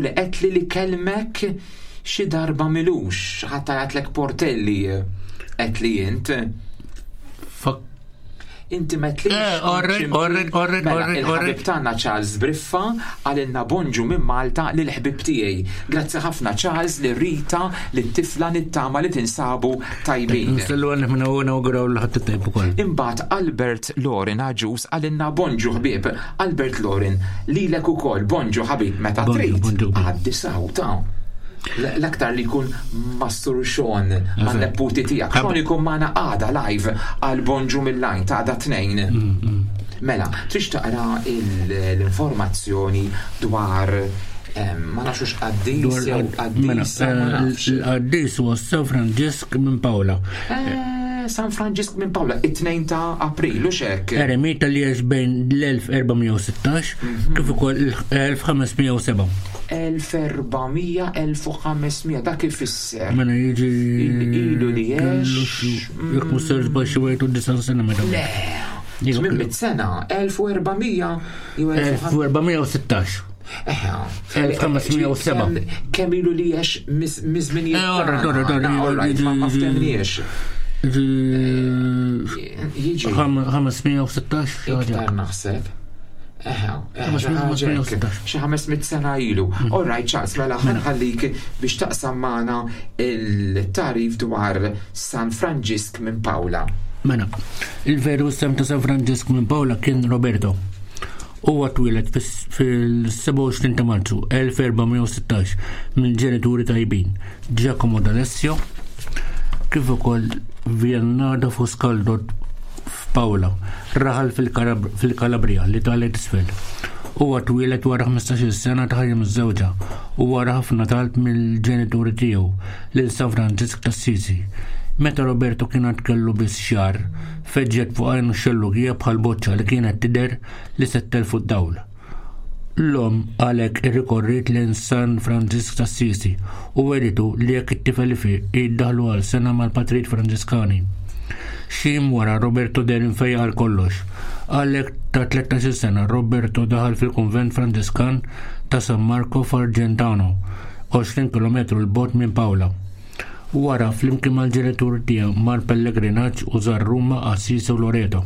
li qed li li kellmek xi darba milux, xi ħadd għatlek Portelli qed li int. Fuck. Inti metlix. Eh, alright, alright, alright, Mela, alright, il-ħabib alright. tagħna Charles Briffa għalilna bonġu minn Malta lil ħbib tiegħi. Grazzi ħafna Charles li Rita li t-tifla nittama li tinsabu tajbin. Nistellu għalli minna u nawguraw l-ħadd it-tajb ukoll. Imbagħad Albert Lorin Aġus għalilna bonġu ħbieb. Albert Lorin lilek ukoll bonġu ħabib meta Bonġu, trid. bonġu. Għaddi sawta. L-aktar li jkun Mastur Sean ma' neputi tiegħek. Sean ikun magħna għada live għal bonġu mill-lajn ta' għada tnejn. Mela, trix taqra l-informazzjoni dwar ma nafx qaddis Dwar jew mela, qaddisa ma nafx. il-qaddis huwa San Franġisk minn Paola. San Franġisk minn Paola, it-2 ta' April, u xek. Eremita li għex bejn l-1416 kif ukoll l-1507. 1400, 1500, dak ifisser. Mela jiġi Ilu li għex. Jekk mhux ser żball xi wieħed u disa' sena meta. Le, 800 sena, 1400 jew 1416. Eħe. 1507. Kemm ilu li għex miż-żminijiet. Eh, alright, alright, tagħna. alright, Alright, ma ftemniex. Jiġi. 516 xi ħaġa. Iktar naħseb. Eħe, eħe, xi ħaġa hekk. Xi 500 sena ilu. All right, Charles, mela ħanħallik biex taqsam magħna il-tarif dwar San Franġisk minn Paola. Mela, il-veru sem ta' San Franġisk minn Paola kien Roberto. Huwa twieled fil-27 ta' Marzu 1416 minn ġenituri tajbin Giacomo D'Alessio kif ukoll Viennardo Fuscaldo f'Paola, raħal fil-Kalabria li talet isfel. Huwa twieled wara 15-il sena ta' ħajja miżżewġa u wara ħafna talb mill-ġenituri tiegħu lil San Franġisk t'Assisi. Meta Roberto kien għad kellu biss xahar, feġġet fuq għajnu xellugija bħal boċċa li kienet tidher li se ttelfu d-dawl. L-omm għalhekk irrikorriet lejn San Franġisk t'Assisi u wegħditu li jekk it-tifel ifiq hi ddaħħlu għal sena mal-patrijiet Franġiskani. Xi jiem wara Roberto deher imfejjaq għal kollox. Għalhekk ta' 13-il sena Roberto daħal fil-kunvent Franġiskan ta' San Marco f'Argentano, 20 kilometru 'l bogħod minn Paola. Wara, flimkien mal-ġenitur tiegħu mar pellegrinaġġ u żar Ruma, Assisi u Loreto.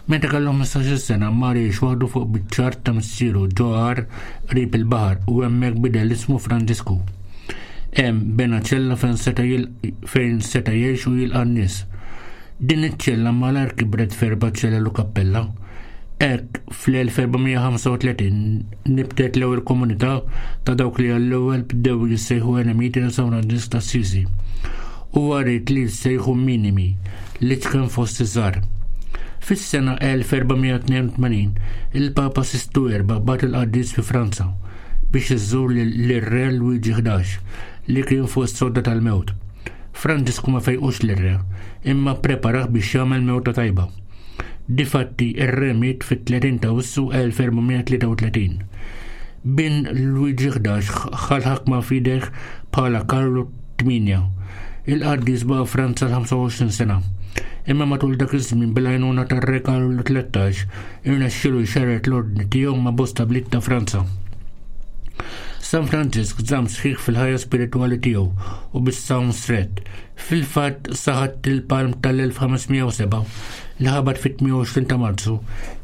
Meta kellu 15-il sena mar jgħix waħdu fuq biċċa art ta' missieru ġo għar qrib il-baħar u hemmhekk bidel ismu Franġisku. Hemm bena ċella fejn seta' fejn seta' jgħix u jilqa' n-nies. Din iċ-ċella malajr kibret f'erba' ċelel u kappella. Hekk, fl-1435 nibtet l-ewwel komunità ta' dawk li għall-ewwel bdew jissejħu eremiti ta' San Franġisk t'Assisi. Huwa ried li jissejħu minimi, l-iċken fost iż-żgħar. Fis-sena 1482, il-Papa Sistu Erba' bagħat il-qaddis fi Franza biex iżur lir-Re Lwiġi 11 li kien fuq is-sodda tal-mewt. Franġisku ma fejqux lir-re, imma ppreparah biex jagħmel mewta tajba. Difatti, ir-re miet fit-30 ta' Awwissu 1433. Bin Lwiġi 11 ħa l-ħakma f'idejh bħala Karlu 8. Il-qaddis baqa' Franza l-25 sena. Imma matul dak iż-żmien bil-għajnuna tar-re Karlu 13 irnexxielu jxerred l-ordni tiegħu ma' bosta bliet ta' Franza. San Franġisk żamm sħiħ fil-ħajja spiritwali tiegħu u bis-sawm strett. Fil-fatt sa Ħadd il-Palm tal-1507 li ħabat fit-28 ta' Marzu,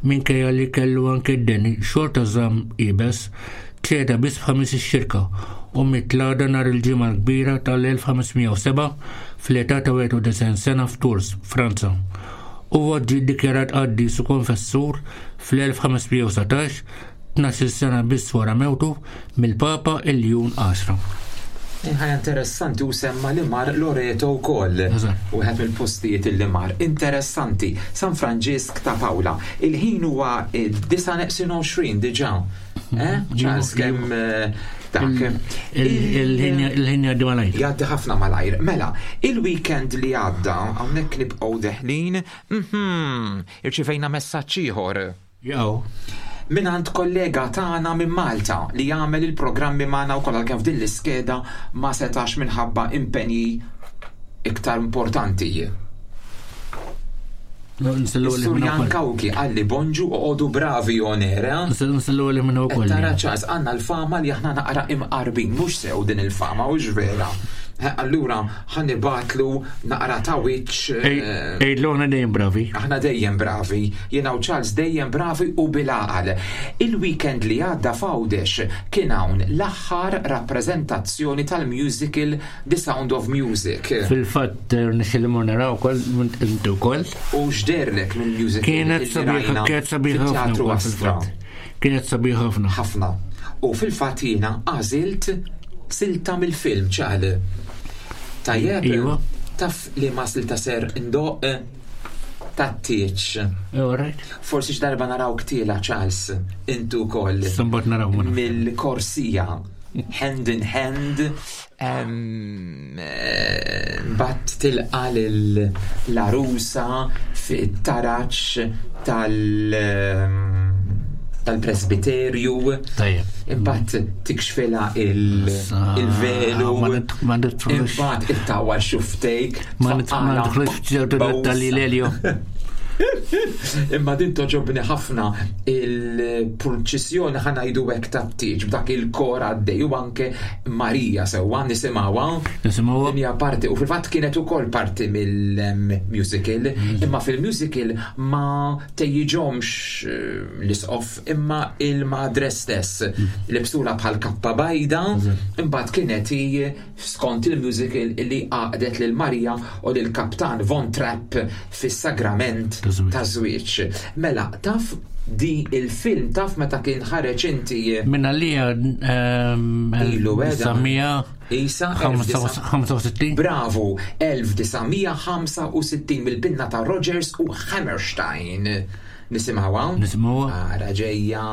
minkejja li kellu anke d-deni, xorta żamm iebes, ċeda biss f'Ħamis ix-Xirka u miet l-għada nhar il-Ġimgħa l-Kbira tal-1507 fl-età ta' 91 sena f'Tours, Franza. Huwa ġie ddikjarat qaddis u konfessur fl-1519 12-il sena biss wara mewtu mill-Papa Iljun Għaxra. Ħajja interessanti u semma li mar Loreto wkoll. Wieħed mill-postijiet li mar. Interessanti. San Franġisk ta' Pawla. Il-ħin huwa 9:20 diġà. Eh? Charles kemm eh, dak. Il-ħin jgħaddi malajr. Jgħaddi ħafna malajr. Mela, il-weekend li għadda hawnhekk nibqgħu deħlin, mhm, irċivejna messaġġ ieħor. Jew. Mingħand kollega tagħna minn Malta li jagħmel il-programmi magħna wkoll għalkemm f'din l-iskeda ma setax minħabba impenji iktar importanti. Is-Sur Jan Kawki qalli bonġu oqogħdu bravi on air, eh? Nsellu għalih minn ukoll. Tara ċans għandna l-fama li aħna naqra imqarbin, mhux sew din il-fama, hux vera. Eh, allura ħa nibgħatlu naqra ta' wiċċ. Eh, Ejlu aħna dejjem bravi. Aħna dejjem bravi. Jiena u Charles dejjem bravi u bil-għaqal. Il-weekend li għadda f'Għawdex kien hawn l-aħħar rappreżentazzjoni tal-musical The Sound of Music. Fil-fatt eh, nixil li naraw ukoll inti wkoll. U x'derlek mill-musical? Kienet sabiħa, kienet sabiħa ħafna. Kienet sabiħa ħafna. Ħafna. U fil-fatt jiena għażilt silta mill-film ċal. Tajjeb. Iva. Taf li ma silta ser ndoq tat-tieċ. Forsi x'darba naraw ktila Charles intu wkoll. Sambat naraw Mill-korsija hand in hand Mbagħad tilqa' lill-għarusa fit-taraġ tal-presbiterju. Tajjeb. Imbagħad tikxfilha il-velu. Ma nidħlux. Imbagħad ittawwal xuftejk. Ma nidħlux f'ċertu dettalji Lelio. Imma din toġobni ħafna il-purċissjoni ħanajdu hekk tat-tieġ b'dak il-kor għaddej u anke Marija sewwa nisimgħuha. Nisimgħuha. Din hija parti u fil-fatt kienet ukoll parti mill-musical, imma fil-musical ma tejjiġhomx eh, l-isqof imma il-madre stess libsula bħal kappa bajda, imbagħad kienet hi skont il-musical li għaqdet lil Marija u lil Kaptan Von Trapp fis-sagrament ta' żwieġ. Mela, taf di il-film taf meta kien ħareġ inti. Minn għalija ehm, ilu Isa 65. Bravo, 1965 mill-pinna ta' Rogers u Hammerstein. Nisimgħuha? Nisimgħuha. Ara ġejja.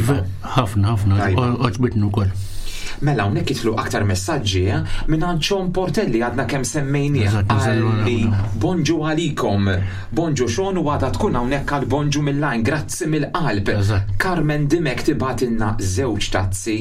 Tajba. Ħafna, ħafna, għoġbitni wkoll. Mela hawnhekk jidħlu aktar messaġġi eh? minn Sean Portelli għadna kemm semmejnieh għalli bonġu għalikom. Bonġu Sean u għadha tkun hawnhekk għal bonġu mill-lajn, grazzi mill-qalb. Carmen Dimek tibatilna żewġ tazzi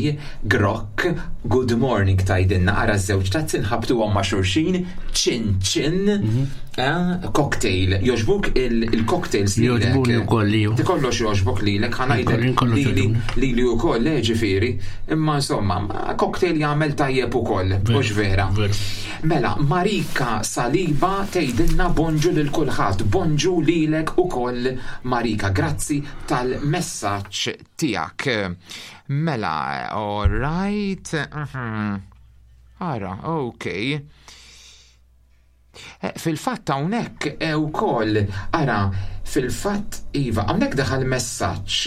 grokk, good morning tajdinna ara żewġ tazzi nħabtuhom ma' xulxin, ċin ċin. Mhm. Eh, cocktail, joġbuk il-cocktails li Joġbuni u koll li. Ti kollox joġbok li l ħanajdek li li u koll, eh, ġifiri. Imma insomma, cocktail jagħmel tajjeb u koll, mhux vera. Mela, Marika Saliba tgħidilna bonġu lil kulħadd, bonġu lilek ukoll Marika, grazzi tal-messaġġ tiegħek. Mela, all right. Mhm. Ara, okay. Eh, fil-fatt hawnhekk eh, ukoll ara fil-fatt iva hawnhekk daħal messaġġ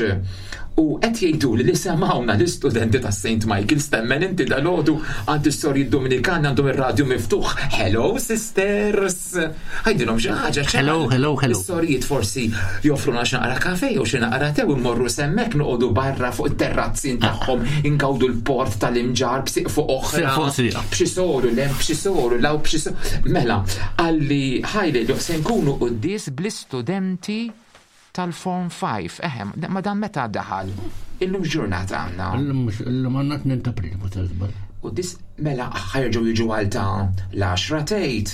u qed jgħidu li semgħuna l-istudenti ta' St. Michael stemmen inti dalodu għand is-sorji Dominikani għandhom ir-radju miftuħ. Hello sisters! Għajdilhom xi ħaġa. Hello, hello, hello. Is-sorijiet forsi joffruna xi naqra kafe jew xi naqra tew immorru semmek noqogħdu barra fuq it-terrazzin tagħhom ingawdu l-port tal-imġar b'siq fuq oħra. B'xi soru lem, b'xi soru law, b'xi soru. Mela, għalli ħajli li se nkunu quddies bl-istudenti tal-Form 5. Eħe, ma dan meta daħal? Illum ġurnata għandna. Illum għandna 2 ta' April, ma żball. U dis mela ħajġu jiġu għal ta' l-10 tgħid.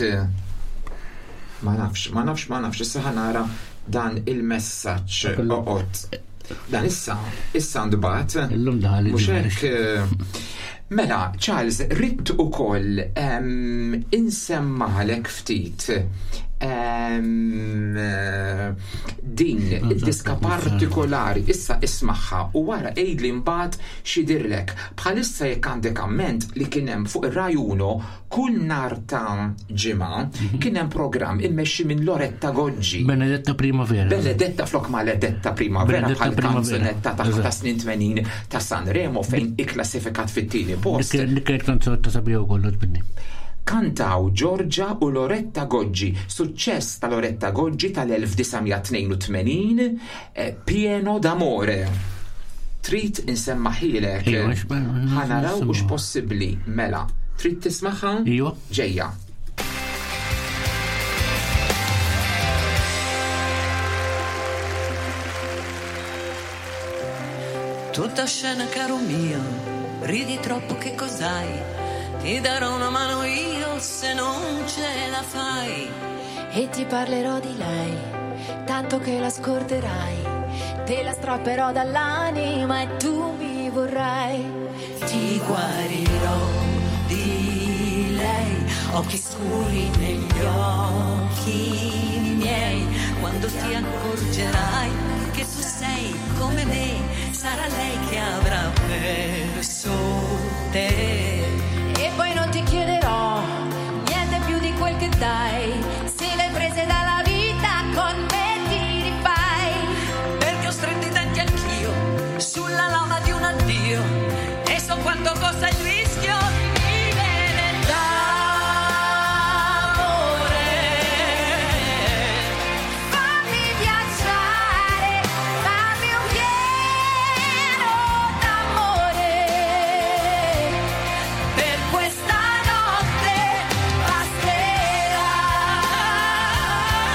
Ma nafx, ma nafx, ma nafx, issa ħanara dan il-messaġġ oqgħod. Dan issa, issa ndbat. Illum daħal. Mhux hekk. Eh, mela, Charles, ridt ukoll insemmalek ftit din id-diska partikolari issa ismaħħa u wara għidli mbagħad x'jidhirlek. Bħalissa jekk għandek amment li kien hemm fuq ir-Rai Uno kull nhar ta' ġimgħa mhm. kien hemm programm immexxi minn Loretta Goggi. Benedetta Primavera. Benedetta flok Maledetta Primavera bħal kanzunetta ta' snin 80 ta' Sanremo fejn ikklassifikat fit-tieni post. Dik kienet kanzunetta sabiħa wkoll għoġbitni. Kantaw Giorgia u Loretta Goggi, suċċess ta' Loretta Goggi tal-1982, eh, Pieno d'amore. Trid insemmaħilek. Ħanaraw hux possibbli mela. Trid tismaħħa? Iva. Ġejja. Tutta scena, caro mio, ridi troppo che cos'hai? Ti darò una mano io se non ce la fai. E ti parlerò di lei, tanto che la scorderai. Te la strapperò dall'anima e tu mi vorrai. Ti guarirò di lei, occhi scuri negli occhi miei, quando ti accorgerai che tu sei come me, sarà lei che avrà perso te. E poi non ti chiederò niente più di quel che dai, se le prese dalla vita con me ti rifai. Perché ho stretto i denti anch'io sulla lama di un addio e so quanto costa il rischio di vivere d'amore. Fammi viaggiare, fammi un pieno d'amore. Per questa notte basterà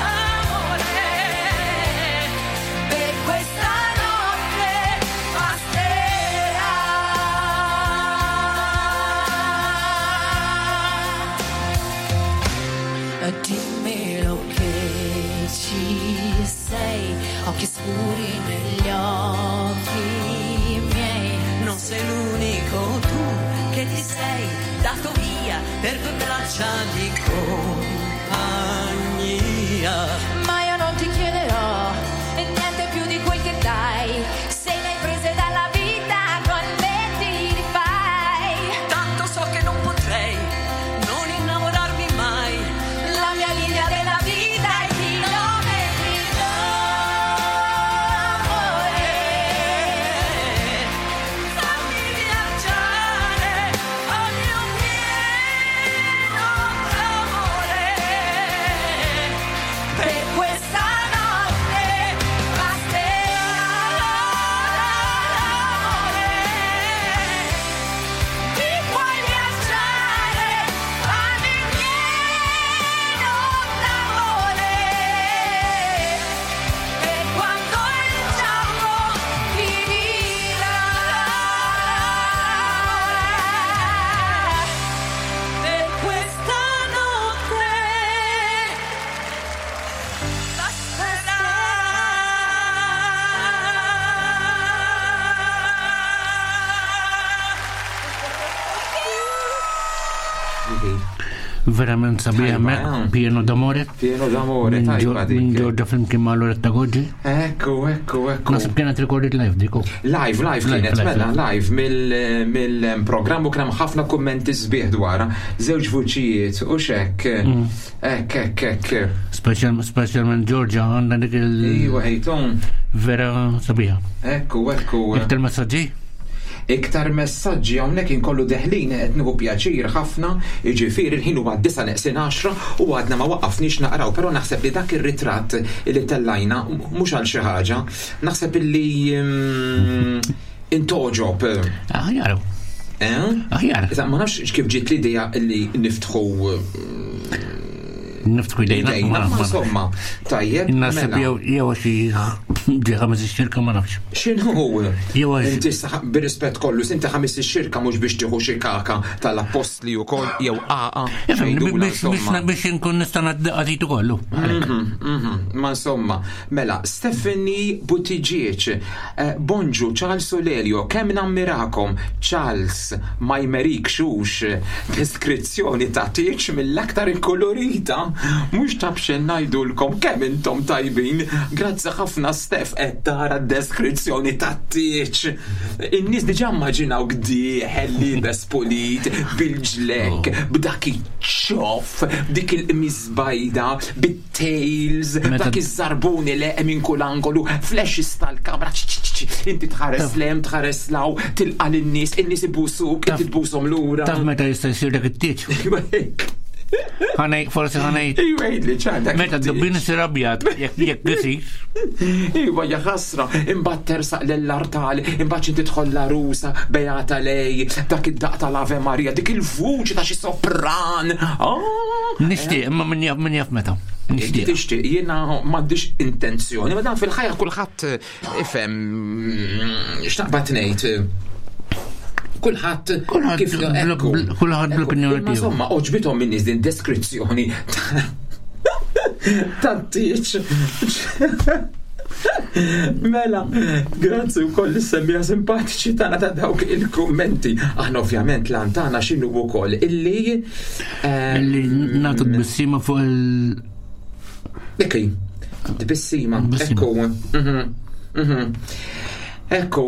amore. Per questa notte basterà. Dimmelo che ci sei, occhi scuri negli occhi miei. Non sei l'unico tu che ti sei dato via per due braccia di compagnia. Ma io non ti chiederò niente più di quel che dai. Se le hai prese dalla vita con me ti rifai. Tanto so che non potrei non innamorarmi mai. La mia linea della vita è chilometri d'amore. Fammi viaggiare, fammi un pieno d'amore. Per Verament sabiħ Tajba, mek, eh. Pieno d'amore. Pieno d'amore, tajba dik. Minn Giorgia flimkien ma' Loretta Goggi. Ekku, ekku, ekku. Nasib kienet recorded live dik. oh. Live, live kienet, Live, mela, live. live mill-programm u kien hemm ħafna kummenti sbieħ dwarha, żewġ vuċijiet u xek. Ekk, ekk, ekk. Speċjalment Giorgia għandha dik il- Iwa, ejton. Vera sabiħa. Ekku, ekku. Iktar messaġġi? Iktar messaġġi hawnhekk inkollu deħlin qed nieħu pjaċir ħafna, jiġifieri l-ħin huwa 9:10 u għadna ma waqafniex naqraw, però naħseb li dak ir-ritratt li tellajna mhux għal xi ħaġa, naħseb illi intoġob. Aħjar. Eh? Aħjar. Iżda ma nafx kif ġiet l-idea li niftħu Niftħu idejna. idejna, ma insomma, tajjeb. Naħseb mela. jew jew xi ġi ħames ix-xirka ma nafx. X'inhu? Jew għax- Inti bir-rispett kollu, inti ħames ix-xirka mhux biex tieħu xi kaka tal-appostli wkoll jew qaqa. Ifhem, xejdula, biex insomma. biex biex inkun nista' ngħaddi kollu. Ma insomma, mela, Stephanie Buttigieg, bonġu Charles u Lelio, kemm nammirakom, Charles, ma jmerik xux, deskrizzjoni ta' tieċ mill-aktar inkolorita, mhux ta' bxen ngħidulkom kemm intom tajbin, grazzi ħafna Steph qed tara deskrizzjoni ta' tieċ. In-nies diġà immaġinaw gdieħel libes pulit, bil-ġlek, b'dak iċ-ċoff, b'dik il-qmis bajda, bit-tails, Meta- dak iż-żarbuni leqe minn kull angolu, flashes tal-kamra, ċ- ċ- ċ- inti tħares lem, tħares law, tilqa lin-nies, in-nies ibusuk, inti tbushom lura. Taf meta jista' jsir dak it-tieġ. Ħanej, forsi ħanej. Iwa, jgħidli ċar dak Meta d-dubbin isir abjad, jekk jekk isir. Iwa, ja ħasra, imbagħad tersaq lill-artal, imbagħad xi tidħol l-arusa, Beata lej, dak id-daq tal-Ave Maria, dik il-vuċi ta' xi sopran. Ah! Nixtieq, imma min jaf min jaf meta. Inti Nixtieq. tixtieq, jiena m'għandix intenzjoni, ma dan fil-ħajja kulħadd ifhem x'naqbad ngħid. Kulħadd Kulħadd kif ekku. kulħadd bl-opinjoni Imma tiegħu. insomma, oġbithom min-nies din deskrizzjoni tat-tieċ. Mela, grazzi wkoll is-semmija simpatiċi tagħna ta' dawk il-kummenti. Aħna ovvjament lan tagħna x'inhu wkoll illi Illi nagħtu tbissima fuq il- Ekki, tbissima, ekku. Ekku,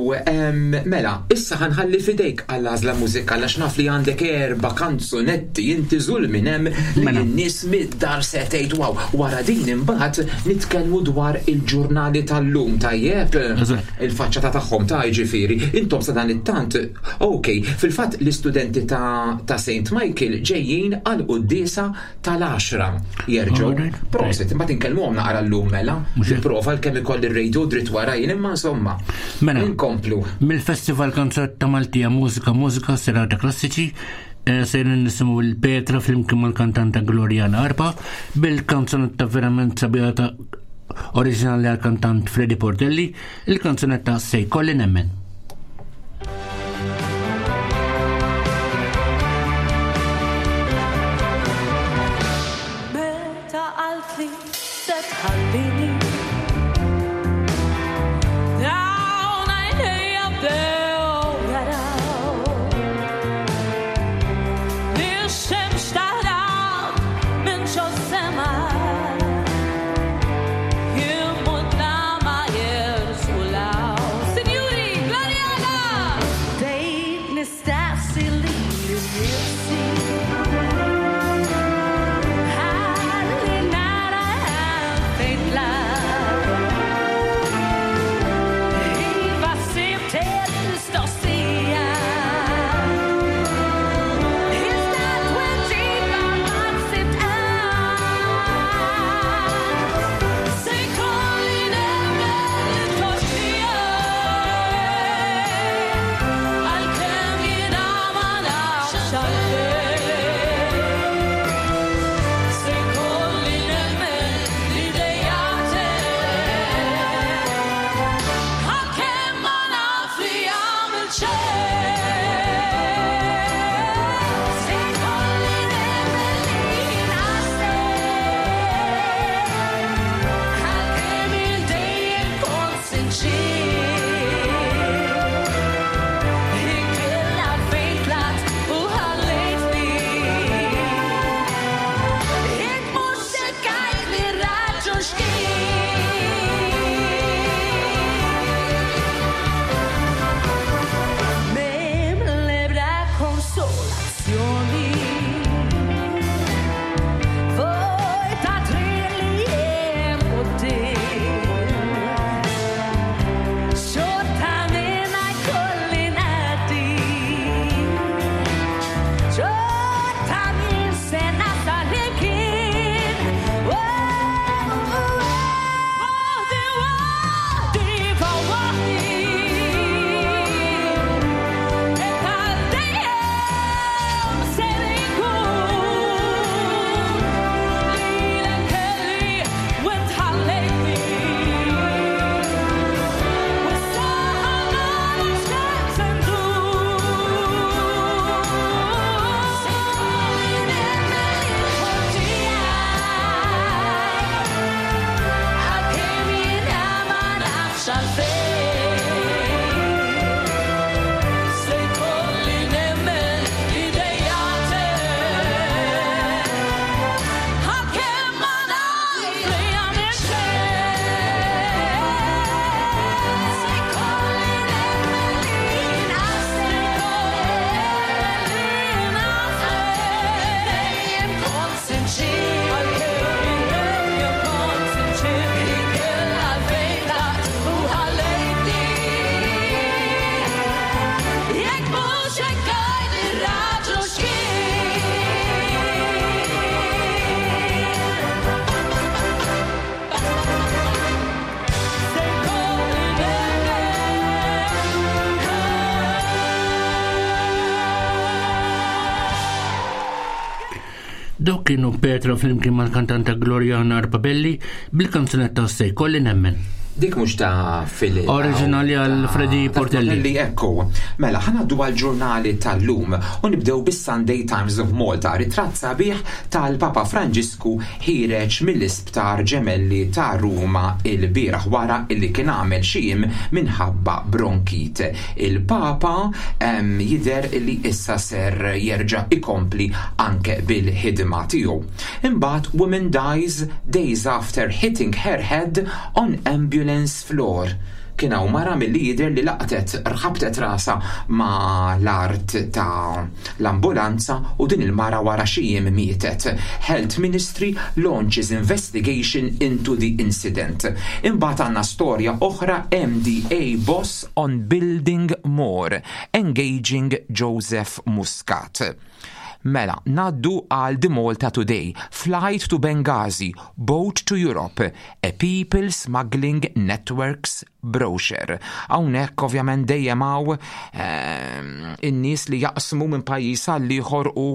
mela, issa ħanħalli fidejk għall-għażla mużikali għax naf li għandek erba' kanzunetti inti żul minn hemm li Mela. n-nies mid-dar se tgħid wow. Wara din imbagħad nitkellmu dwar il-ġurnali tal-lum tajjeb. Eżatt. Il-faċċata tagħhom ta' jiġifieri. Intom sa dan it-tant, ok, fil-fatt l-istudenti ta', ta St. Michael ġejjin għal quddiesa tal-10 jerġgħu. Alright. Prosit, imbagħad inkellmuhom naqra llum mela. Mhux hekk. Nipprova l-kemm ikolli r-radio dritt wara jien imma insomma. Mela. Inkomplu. Mill-Festival Kanzunetta Maltija Mużika Mużika Serata Klassiċi sejrin nisimgħu l-Petra flimkien mal-kantanta Gloriana Arpa bil-kanzunetta verament sabiħa ta' oriġinali għal-kantant Freddy Portelli, il-kanzunetta Se jkolli nemmen. Meta qaltli se tħallini Dawn għajnejja bdew jaraw Li x-xemx taħrab minn ġo sema Jien mutla ma jersulaw Sinjuri, Gloria! Dawk kienu Petra flimkien mal-kantanta Gloriana Arpabelli bil-kanzunetta Se jkolli nemmen. Dik mhux ta' fil Oriġinali għal Freddy Portelli. Portelli ekku. Mela, ħanaddu għal ġurnali tal-lum u nibdew bis-Sunday Times of Malta, ritratt sabiħ tal-Papa Franġisku ħiereġ mill-isptar Gemelli ta' Ruma il-bieraħ wara illi kien għamel xi jiem minħabba bronkite. Il-Papa jidher li issa ser jerġa' ikompli anke bil-ħidma tiegħu. Imbagħad woman dies days after hitting her head on ambulance floor. Kien hawn mara milli jidher li laqtet rħabtet rasha ma' l-art ta' l-ambulanza u din il-mara wara xi jiem mietet. Health Ministry launches investigation into the incident. Imbagħad għandna storja oħra MDA boss on building more, engaging Joseph Muscat. Mela, ngħaddu għal The Malta Today, Flight to Benghazi, Boat to Europe, a People Smuggling Networks Brochure. Hawnhekk ovvjament dejjem hawn in-nies li jaqsmu minn pajjiż għal ieħor u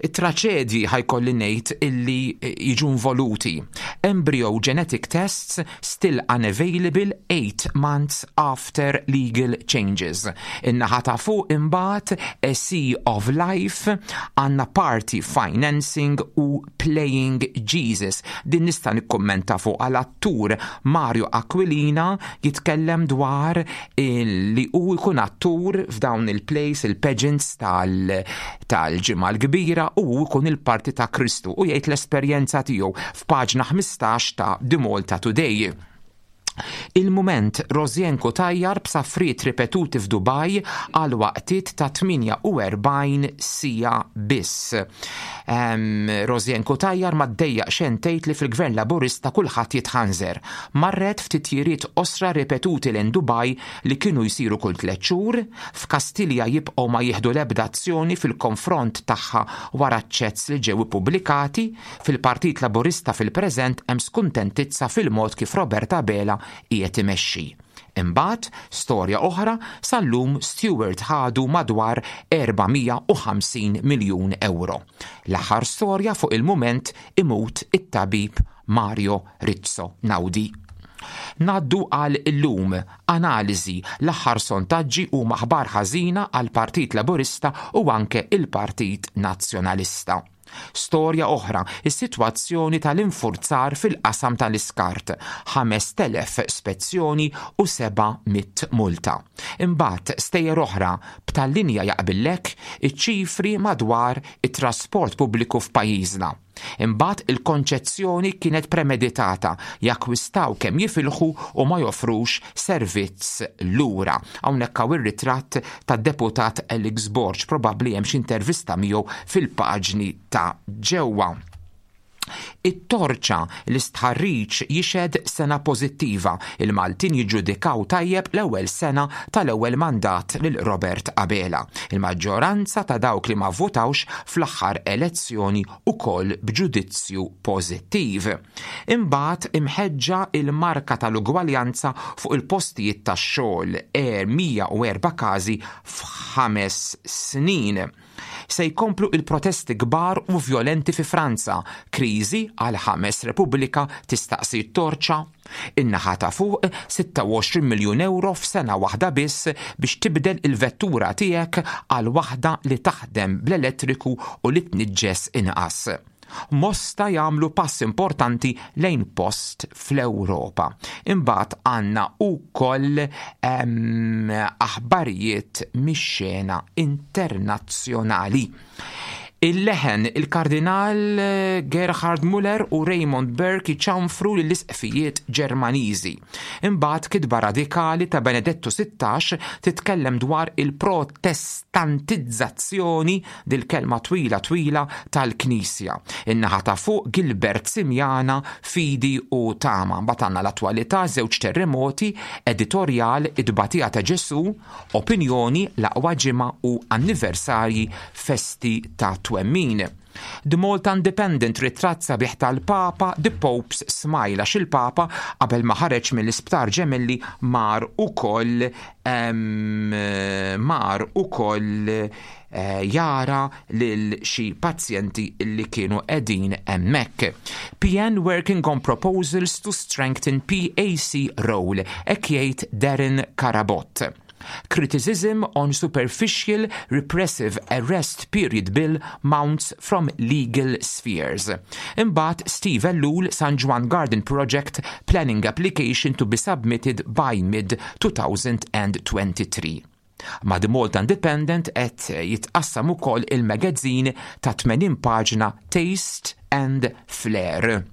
it-traċedji ħa jkolli ngħid illi jiġu involuti. Embryo genetic tests still unavailable 8 months after legal changes. In-naħa ta' fuq imbagħad A Sea of Life għandna party financing u Playing Jesus. Din nista' nikkummenta fuq għal attur Mario Aquilina jitkellem dwar li hu jkun attur f'dawn il-plays, il-pageants tal-ġimgħa l-kbira u hu jkun il-parti ta' Kristu u jgħid l-esperjenza tiegħu f'paġna 15 ta' The Malta Today. Il-mument Rosianne Cutajar b'safriet ripetuti f'Dubaj għal waqtiet ta' 48 siegħa biss. Rosianne Cutajar ma ddejjaq xejn tgħid li fil-Gvern Laburista kulħadd jitħanżer. Marret f'titjiriet qosra ripetuti lejn Dubaj li kienu jsiru kull tliet xhur, f'Kastilja jibqgħu ma jieħdu l-ebda azzjoni fil-konfront tagħha wara ċ-chats li ġew ippubblikati. Fil-Partit Laburista fil-preżent hemm skuntentizza fil-mod kif Robert Abela qiegħed imexxi. Imbagħad, storja oħra, sal-lum Steward ħadu madwar 450 miljun ewro. L-aħħar storja fuq il-mument imut it-tabib Mario Rizzo Naudi. Ngħaddu għal illum, analiżi, l-aħħar sontaġġi huma aħbar ħażina għall-Partit Laburista u anke il-Partit Nazzjonalista. Storja oħra, is-sitwazzjoni tal-infurzar fil-qasam tal-iskart, 5,000 spezzjoni u 700 multa. Imbagħad stejjer oħra, b'tal-linja jaqbillek iċ-ċifri madwar it-trasport pubbliku f'pajjiżna. Imbagħad il-konċezzjoni kienet premeditata, jakkwistaw kemm jifilħu u ma joffrux servizz lura. Hawnhekk hawn ir-ritratt tad-deputat Alex Borg, probabbli hemm xi intervista miegħu fil-paġni ta' ġewwa. It-torċa l-istħarriġ jixhed sena pożittiva. Il-Maltin jiġġudikaw tajjeb l-ewwel sena tal-ewwel mandat lil Robert Abela. Il-maġġoranza ta' dawk li ma vvotawx fl-aħħar elezzjoni ukoll b'ġudizzju pożittiv. Imbagħad imħeġġa il-marka tal-ugwaljanza fuq il-postijiet tax-xogħol, 104 każi f'ħames snin. Se jkomplu il-protesti kbar u vjolenti fi Franza, kriżi għal ħames Repubblika tistaqsi t-torċa. In-naħa ta' fuq 26 miljun euro f'sena waħda biss biex tibdel il-vettura tiegħek għal waħda li taħdem bl-elettriku u li tniġġes inqas. Mosta jagħmlu pass importanti lejn post fl-Ewropa. Imbagħad għandna wkoll aħbarijiet mix-xena internazzjonali. Il-leħen il-Kardinal Gerhard Müller u Raymond Burke iċanfru lill-isqfijiet Ġermaniżi. Imbagħad kitba radikali ta' Benedettu 16 titkellem dwar il-protestantizzazzjoni dil-kelma twila twila tal-Knisja. In-naħa ta' fuq Gilbert Simiana, Fidi u Tama. Mbagħad għandna l-attwalità, żewġ terremoti, editorjal, id-batija ta' Ġesu, opinjoni, l-aqwa ġimgħa u anniversarji festi ta' twemmin. The Malta Independent ritratt sabiħ tal-Papa, The Pope's Smile, għax il-Papa qabel ma ħareġ mill-isptar Gemelli mar ukoll eh, jara lil xi pazjenti li kienu qegħdin hemmhekk. PN working on proposals to strengthen PAC role, hekk jgħid Darren Carabott. Criticism on superficial repressive arrest period bill mounts from legal spheres. Imbagħad Steve Ellul San Ġwann Garden Project planning application to be submitted by mid-2023. Ma' The Malta Independent qed jitqassam ukoll il-magazine ta' 80 paġna Taste and Flair.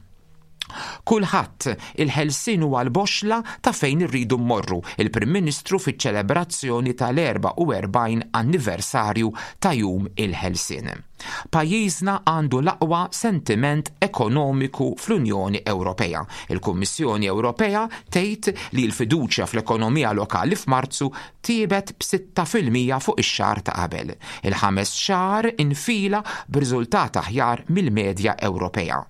Kulħadd, il-ħelsien huwa l-boxxla ta' fejn irridu mmorru, il-Prim Ministru fiċ-ċelebrazzjoni tal-44 anniversarju ta' Jum il-Ħelsien. Pajjiżna għandu l-aqwa sentiment ekonomiku fl-Unjoni Ewropea. Il-Kummissjoni Ewropea tgħid li l-fiduċja fl-ekonomija lokali f'Marzu tjiebet b'6% fuq ix-xahar ta' qabel, il-ħames xahar infila b'riżultat aħjar mill-medja Ewropea.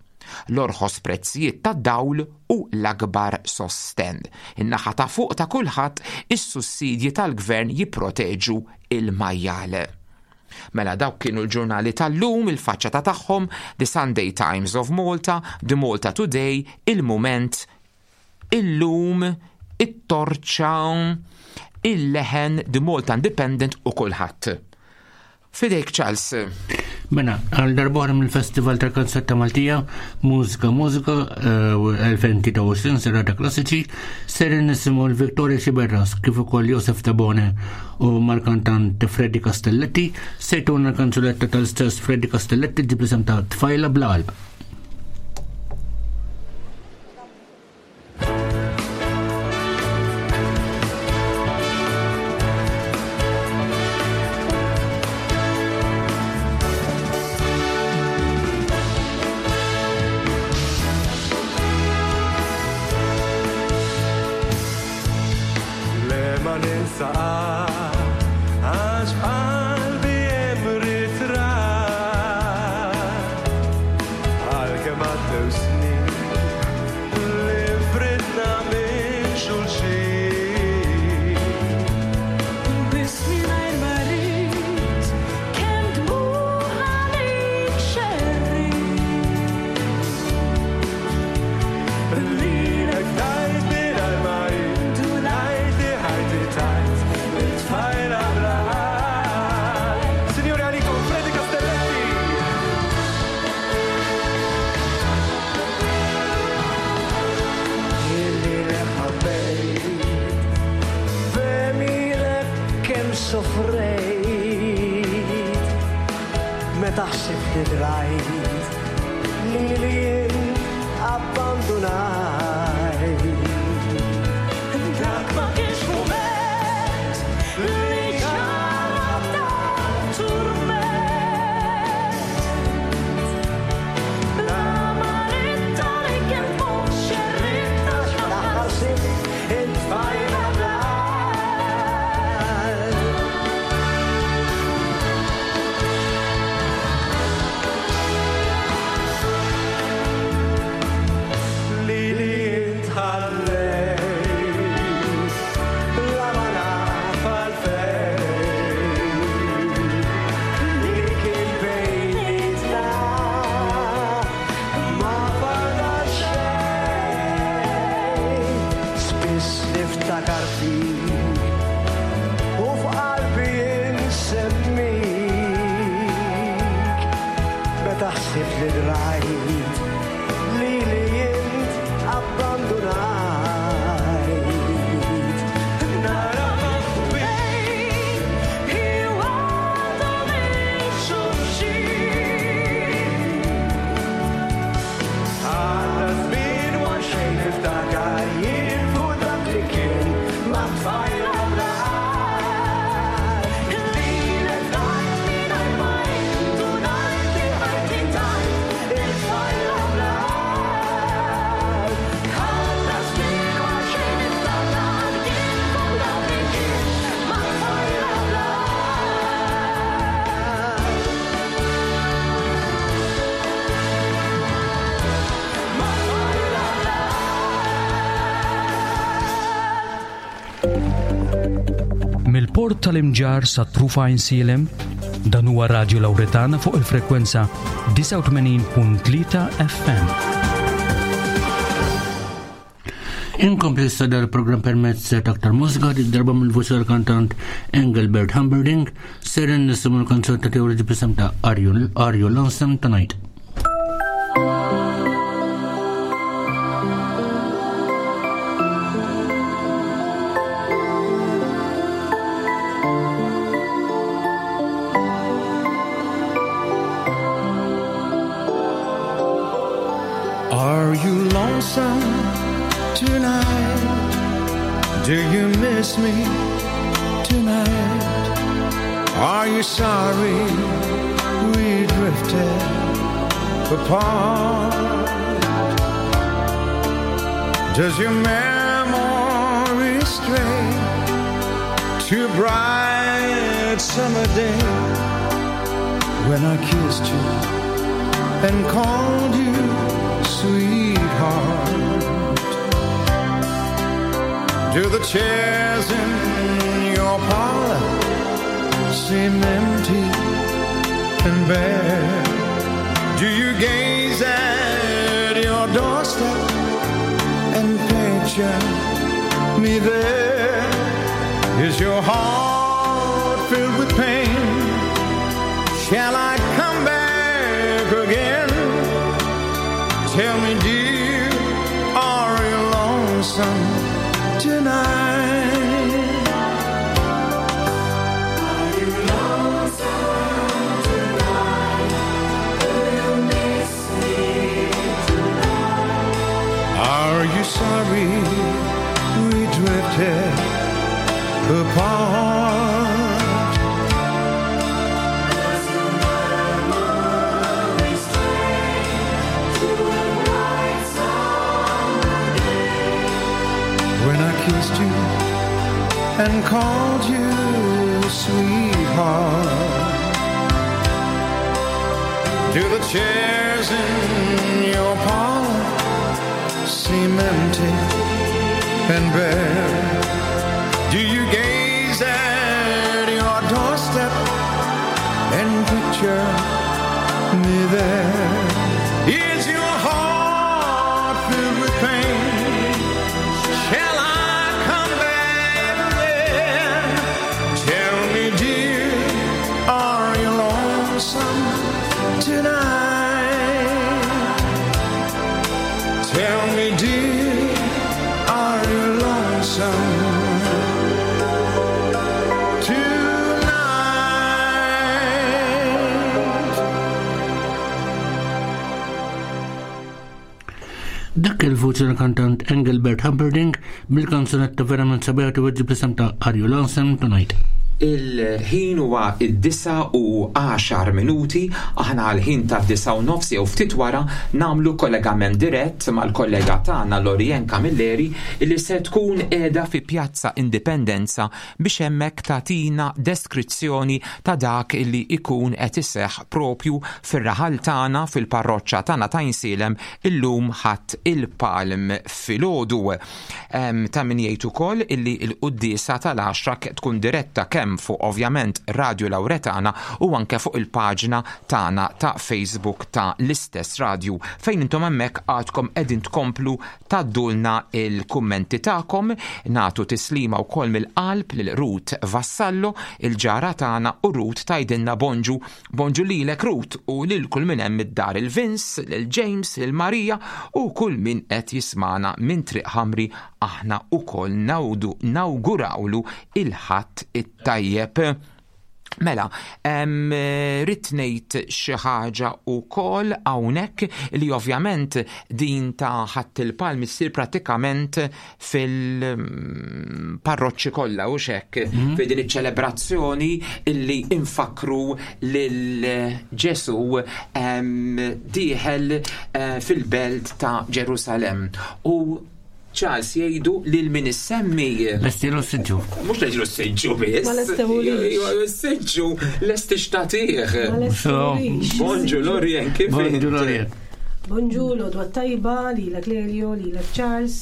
L-orħos prezzijiet tad-dawl u l-akbar sostenn. In-naħa ta' fuq ta' kulħadd, is-sussidji tal-Gvern jipproteġu l-majjal. Mela dawk kienu l-ġurnali tal-lum, il-faċċata tagħhom, The Sunday Times of Malta, The Malta Today, Il-Mument, Illum, It-Torċa, Il-Leħen, The Malta Independent u kulħadd. Fidejk Charles. Mela, għal darbohra mill-Festival tal-Kanzetta Maltija, Mużika Mużika 2023 eh, serata klassiċi, ser nisimgħu l-Victoria Xiberras kif ukoll Josef Tabone u mal-kantant Freddy Castelletti, se jtuna l-kanzunetta tal-istess Freddy Castelletti ġib l-isem ta' Tfajla bla qalb. Le ma ninsa għax f'qalbi hemm ritratt għalkemm għaddew snin li fridna minn xulxin. Biss mingħajr ma rrid kemm dmugħ għalik xerrid. Lilek tajt mingħajr ma jien ngħid li ħajti tajt it-tfajla bla qalb. Signori għalikom Freddy Castelletti. Lilek ħabbejt, b'għemilek kemm sofrejt, meta ħsibt li drajt lili jien abbandunajt. Dak ma kienx mument li ġara ta' turment. Bla ma ridt li kien fuq xerridt għax l-aħħar sibt it-tfajla bla qalb. Lili int ħallejt, bla ma naf għalfejn. Li kien bejnietna ma fadal xejn. Spiss niftakar fik u f'qalbi insemmik. Meta ħsibt li drajt lili int abbandunajt. Nara bejn iwgħadu minn xulxin. Għadda żmien u għal xejn niftakar jien fuq dak li kien ma' tfajla bla qalb. Lilek tajt mingħajr ma int u ngħid li ħajti tajt it-tfajla bla qalb. Għadda żmien u għal xejn niftakar jien fuq dak li kien ma' tfajla bla Mill-port tal-Imġarr sa Trufa Għajnsielem, Dan huwa Radju Lawretana fuq il-frekwenza 89.3 FM. Inkompli issa dal-programm permezz ta' aktar mużika darba mill-vuċi tal-kantant Engelbert Humperdinck ser nisimgħu l-kanzunetta tiegħu li ġib ta' Are You, Are you Lonesome Tonight? Are you lonesome tonight? Do you miss me tonight? Are you sorry we drifted apart? Does your memory stray to bright summer day when I kissed you and called you sweetheart? Do the chairs in your parlor seem empty and bare? Do you gaze at your doorstep and picture me there? Is your heart filled with pain? Shall I come back again? Tell me, dear, are you lonesome tonight? Are you lonesome tonight? Do you miss me tonight? Are you sorry we drifted apart? Does your memory stray to a bright summer day? When I kissed you and called you sweetheart. Do the chairs in your parlor seem empty and bare? Do you gaze at your doorstep and picture me there? Is your heart filled with pain? Shall I come back again? Tell me, dear, are you lonesome tonight? Tell me, dear, are you lonesome tonight? Dak il-vuċi tal-kantant Engelbert Humperdinck mill-kanzunetta verament sabiħa tiweġġi bl-isem ta' Are You Lonesome Tonight? Il-ħin huwa id-9 u 10 minuti, aħna għal-ħin ta' 9 u nofs jew ftit wara namlu kollegament dirett mal-kollega tagħna Lorien Camilleri li se tkun qiegħda fi Pjazza Indipendenza biex hemmhekk tagħtina deskrizzjoni ta' dak li ikun qed iseħħ propju fir-raħal tagħna fil-parroċċa tagħna ta' Insielem illum ħadd il-Palm filgħodu. Ta' min jgħid ukoll illi l-quddiesa tal-10 tkun diretta kemm fuq ovvjament Radio Lauretana u anke fuq il-paġna tagħna ta' Facebook ta' l-istess radju fejn intom hemmhekk għadkom qegħdin tkomplu tgħaddulna il-kummenti tagħkom. Nagħtu tislima wkoll mill-qalb lil Ruth Vassallo, il-ġara tagħna, u Ruth tgħidilna bonġu. Bonġu lilek Ruth u lil kull min hemm id-dar, il-Vince, lil James, lil Marija u kull min qed jismana minn Triq Ħamri. Aħna wkoll nawgurawlu il-Ħadd it-tajjeb. Mela, rrid ngħid xi ħaġa wkoll hawnhekk li ovvjament din ta' Ħadd il-Palm issir pratikament fil-parroċċi kollha u xek fi din iċ-ċelebrazzjoni illi infakru lil Ġesu dieħel fil-belt ta' Ġerusalemm. U Charles jgħidu lil min issemmi. Lestilu s-siġġu. Mhux lestilu s-siġġu biss. Ma lestewulix. Iva, s-siġġu lesti xtatih. Ma lestewulix. Bonġu Lorien, kif Bonġu int? Lorien. Bonġu, l-għodwa tajba, lilek Lelio, lilek Charles.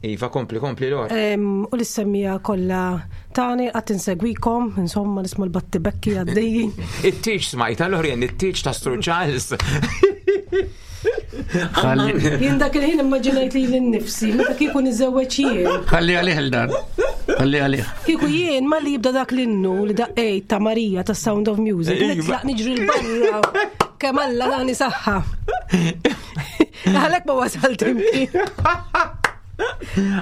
Iva, kompli, kompli Lor. U l-semmija kollha tani qatt insegwikom, insomma nisma' l-battibekki għaddejjin. It-tieġ smajta Lorien, it-tieġ ta' Sir Charles. Jien dak il-ħin immaġinajt li l-nifsi, meta kieku niżewweġ jien. Ħalli għalih il-dan. Ħalli għalih. Kieku jien ma li jibda dak l-innu li daqqejt ta' Marija ta' Sound of Music, nitlaq niġri l-barra. Kemm Alla dani saħħa. Għalhekk ma wasalt imkien.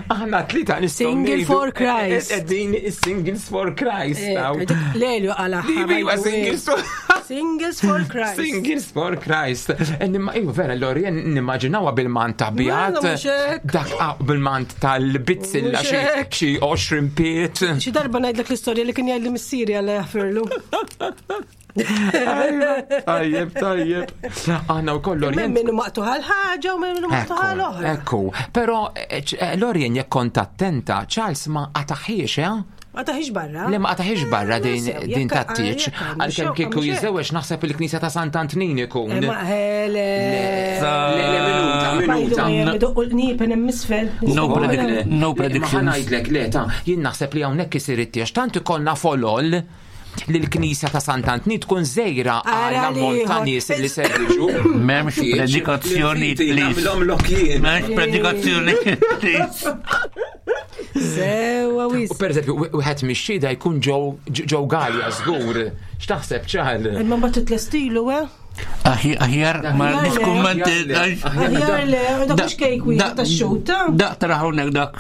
Aħna tlita nistgħu Single ngħidu- for Christ. Qegħdin singles for Christ. hawn. Lelju għala. Iva, singles for Singles for Christ. Singles for Christ. Eh, nimma- Iva, vera, Lorien nimmaġinawha bil-mant abjad. Mela, mhux hekk. Dak ah, bil-mant tal-bizzilla Mhux xi hekk. xi 20 piet. Xi darba ngħidlek l-istorja li kien jgħidli missieri għal jaħfirlu. Tajjeb, tajjeb. Aħna wkoll Minn Lorien. minnu maqtuħa l-ħaġa u minn minnu maqtuħa l-oħra. Ekku, però eh, Lorien jekk kont attenta, Charles ma qataħiex, eh? Ma taħix barra. Le ma qataħiex barra din sew, din jekk- tat-tieġ. jekk għandu Għalkemm xewqa, kieku mhux hekk. jiżewweġ naħseb il-Knisja ta' Sant'Antnin ikun. Eh, Ma hele. Le, le, minuta, minuta. Doqqu l-qniepen hemm isfel. No predict- no Ma predictions. ngħidlek le ta' jien naħseb li hawnhekk isir it-tieġ tant ikollna folol li l-Knisja ta' Sant'Antnin tkun żejra Ara għal ammont ta' liħor. nies li ser jiġu. M'hemmx predikazzjoni, please. Nagħmilhom lokjien. M'hemmx predikazzjoni, please. Sewa wis. U per eżempju, wieħed mix-xhieda jkun Joe Gallia żgur. X'taħseb ċal? Imma mbagħad titlestilu, eh? Aħjar ma Aħjar le. niskummenti. Aħjar le, dak mhux kejk wieħed tax-xut. Dak tara hawnhekk dak.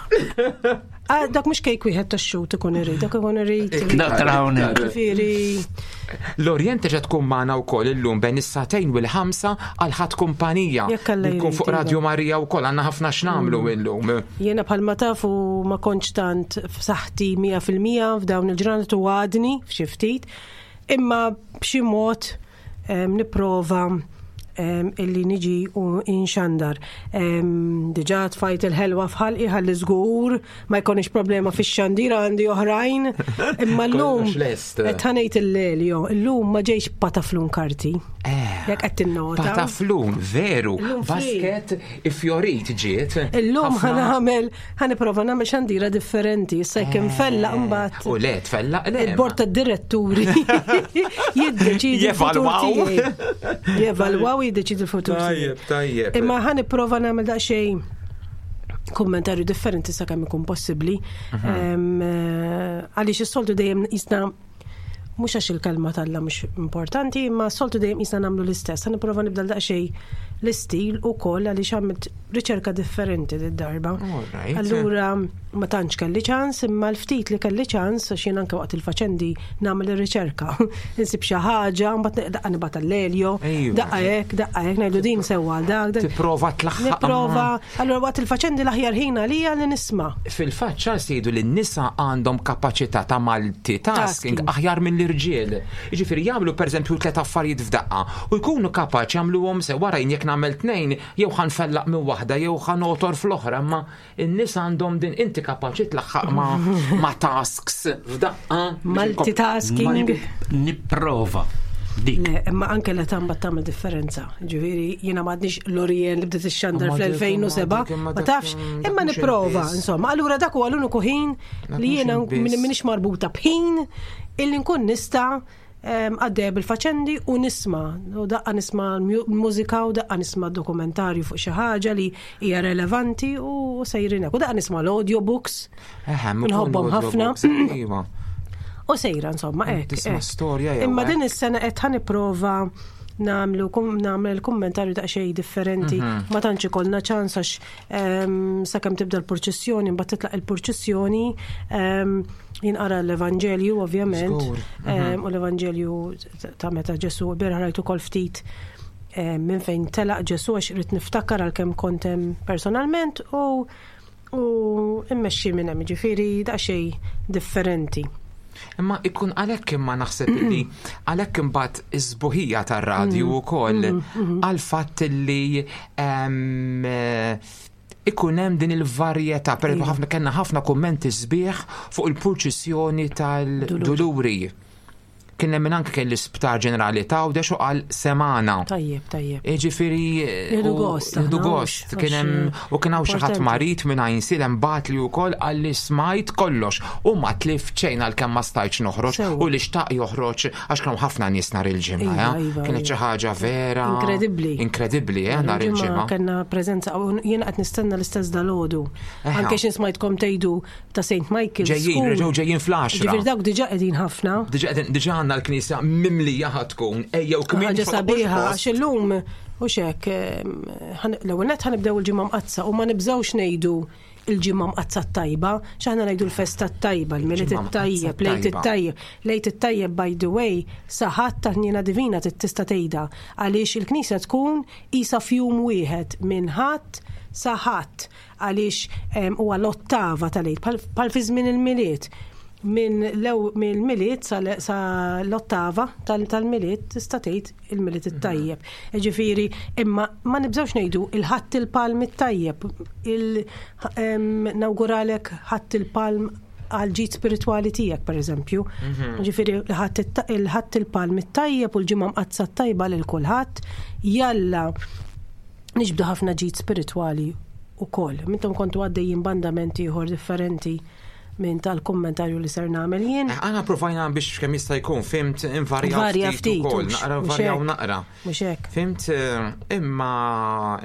Ah, Dak mhux kejk wieħed tax-xut ikun irid, dak ikun irid. Dak tara hawnhekk. Ġifieri. L-Orient terġa' tkun magħna wkoll illum bejn is-sagħtejn u l-ħamsa għal ħadd kumpanija. Jekk Alla Nkun jrid, fuq iva. Radio Marija wkoll għandna ħafna x'nagħmlu illum. Jiena bħalma tafu ma kontx tant f'saħħti 100% f'dawn il-ġranet u għadni f'xi ftit, imma b'xi mod nipprova illi niġi u inxandar. Diġà tfajt il-ħelwa f'ħalqi ħalli żgur ma jkunx problema fix-xandir għandi oħrajn. Imma llum Kollox lest. qed ħanejt il-leljo, illum ma ġejx pataflun karti. Jekk qed tinnota. Pataflun, veru. Illum free. Basket ifjorit ġiet. Illum Ħafna- ħanamel, ħaniprofa nagħmel xandira differenti, issa jekk infella mbagħad U le, tfella, le. il-bord tad-diretturi jiddeċidi l-futur Jevalwaw. tiegħi. Jevalwaw jiddeċidi l-futur tiegħi. Tajjeb, tajjeb. Imma ħaniprofa nagħmel daqsxejn kummentarju differenti sakemm ikun possibbli. Għaliex is-soltu dejjem jisna mhux għax il-kelma talla mhux importanti, imma s-soltu dejjem jisna nagħmlu l-istess. Ħa nipprova nibda daqsxejn l-istil ukoll għaliex għamilt riċerka differenti d-darba. Alright. Allura ma tantx kelli ċans, imma l-ftit li kelli ċans għax jien anke waqt il-faċendi nagħmel ir-riċerka. Insib xi ħaġa, mbagħad daqqa nibgħat l-eljo, Ejwa. daqqa hekk, daqqa hekk, ngħidu din sewwa għal dak. dak. Tipprova tlaħħaq. Nipprova, allura waqt il-faċendi l-aħjar ħin għalija li nisma'. Fil-fatt Charles jgħidu li n-nisa għandhom kapaċità ta' multitasking Tasking. aħjar mill-irġiel. Jiġifieri jagħmlu pereżempju tliet affarijiet f'daqqa u jkunu kapaċi jagħmluhom se wara jien jekk nagħmel tnejn jew ħanfellaq minn waħda jew ħanotor fl-oħra, imma n-nisa għandhom din inti kapaċi tlaħħaq ma, ma tasks f'daqqa. Multitasking. Nipprova. Dik. Le, imma anke l età mbagħad tagħmel differenza. Ġifieri jiena m'għadniex Lorien li bdiet ixxandar Imma dik- fl-2007, imma dik- imma ma dak- tafx, dak imma mhux nipprova, il-biss. insomma. Allura dak huwa l-uniku ħin Dak li mhux jiena il-biss. minix marbuta b'ħin illi nkun nista' għaddejja bil-faċendi u nisma. U daqqa nisma l-mużika u daqqa nisma dokumentarju fuq xi ħaġa li hija relevanti u sejrin hekk. U daqqa nisma l-audiobooks. Nħobbhom ħafna. Iva. U sejra, insomma, hekk. Tisma' hekk. storja jew Imma hekk. din is-sena qed ħaniprova nagħmlu kum, nagħmel kummentarju daqsxejn differenti. Ma tantx ikollna ċans għax sakemm tibda l-purċissjoni, mbagħad titlaq il-purċissjoni, jinqara l-Evanġelju ovvjament. Żgur. U l-Evanġelju ta' meta Ġesu bieraħ rajtu ukoll ftit minn fejn telaq Ġesu għax rrid niftakar għalkemm kont hemm personalment u u immexxi minn hemm, ġifieri daqsxejn differenti. Imma ikun għalhekk imma naħseb li għalhekk imbagħad iż-żbuħija tar-radju wkoll għal fatt li ikun hemm din il-varjetà, per eżempju ħafna kellna ħafna kummenti sbieħ fuq il-purċissjoni tal-Duluri. Kien hemm min anke kien l-Isptar Ġenerali t'Għawdex u qal semana. Tajjeb, tajjeb. Jiġifieri Nieħdu gost Nieħdu aħna, gost. mhux- Kien hemm għax, u kien hawn xi ħadd importanti. marid minn Għajnsielem bagħat li wkoll qal li smajt kollox u ma tlift xejn għalkemm ma stajtx noħroġ Sewwa. u li xtaq joħroġ għax kienu ħafna nies nhar il-ġimgħa. Iva, eh? iva, Kienet iva. xi ħaġa vera. Inkredibbli. Inkredibbli, eh, nhar il-ġimgħa. Kellna preżenza u jiena qed nistenna l-istess dalgħodu. Eħe. Anke xi smajtkom tgħidu ta' St. Michael's. Ġejjin, School. reġgħu ġejjin fl-għaxra. Ġifieri dawk diġà qegħdin ħafna. Diġà qegħdin- diġà għandna l-knisja mimlija ħa tkun. Ejjew kmin Ħaġa toqgħodux sabiħa, post. għax illum u xek, l-ewwel nett ħanibdew il-ġimgħa mqazza u ma nibżgħux ngħidu il-ġimgħa mqazza t-tajba, x'aħna ngħidu l-festa t-tajba, l-Milied Ġimgħa mqaddsa it-tajjeb, lejt t-tajba. it-tajjeb. Lejt it-tajjeb by the way, saħat ta' ħniena divina tista' tgħidha għaliex il-knisja tkun isa fjum wieħed minn ħadd sa ħadd għaliex huwa l-ottava tal-lejl bħal fi żmien il-Milied minn lew mill-Milied sa sa l-ottava tal-Milied tista' tgħid il-Milied it-tajjeb. Ġifieri, imma ma nibżgħux ngħidu il-ħadd il-palm it-tajjeb, il nawguralek ħadd il-palm għal ġid spiritwali tiegħek pereżempju. Ġifieri il-ħadd il-palm it-tajjeb u l-ġimgħa mqaddsa t-tajba lil kulħadd, jalla niġbdu ħafna ġid spiritwali ukoll. Mintom kontu għaddejjin bandamenti ieħor differenti minn tal-kommentarju li ser nagħmel jien. Aħna provajna biex kemm jista' jkun, fimt, invarjaw Varja ftit ftit, ukoll, mhux- naqra mhux varjaw hekk. naqra. Mhux hekk. Fimt, imma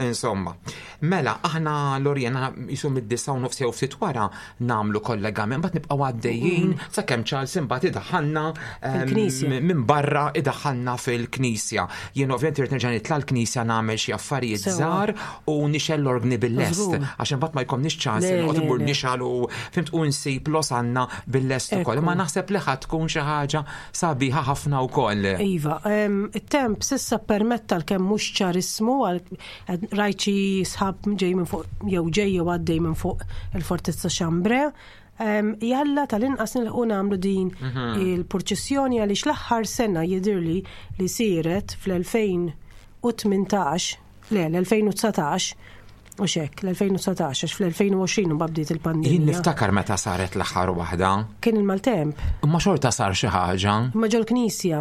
insomma. Mela, aħna Lorien, aħna jisu mid-disa u nofs jew ftit wara nagħmlu kollegament, mbagħad nibqgħu għaddejjin sakemm Charles imbagħad idaħħalna Fil-knisja. minn barra idaħħalna fil-knisja. Jien ovvjament irid nerġa' nitla' l-knisja nagħmel xi affarijiet Sewwa. żgħar u nixgħel l-organi bil-lest Żgur. għax imbagħad ma jkollniex ċans Le, noqgħod le, immur le. nixgħel u fimt u nsib losanna bil-lest ukoll. Ekku. Imma naħseb li ħadd tkun xi ħaġa sabiħa ħafna wkoll. Iva, it-temp sissa permetta l-kemm mhux ċarismu għal rajt xi sħab ġej minn fuq jew ġej jew għaddej minn fuq il-Fortizza Xambre. Jalla tal-inqas nilħqu nagħmlu din il-purċissjoni għaliex l-aħħar sena jidhirli li siret fl-2018, le l-2019, u xek, l-2019, għax fl-2020 mbagħad bdiet Jien il-pandemija. niftakar meta saret l-aħħar waħda, Kien il-maltemp, imma xorta sar xi ħaġa. imma ġol-knisja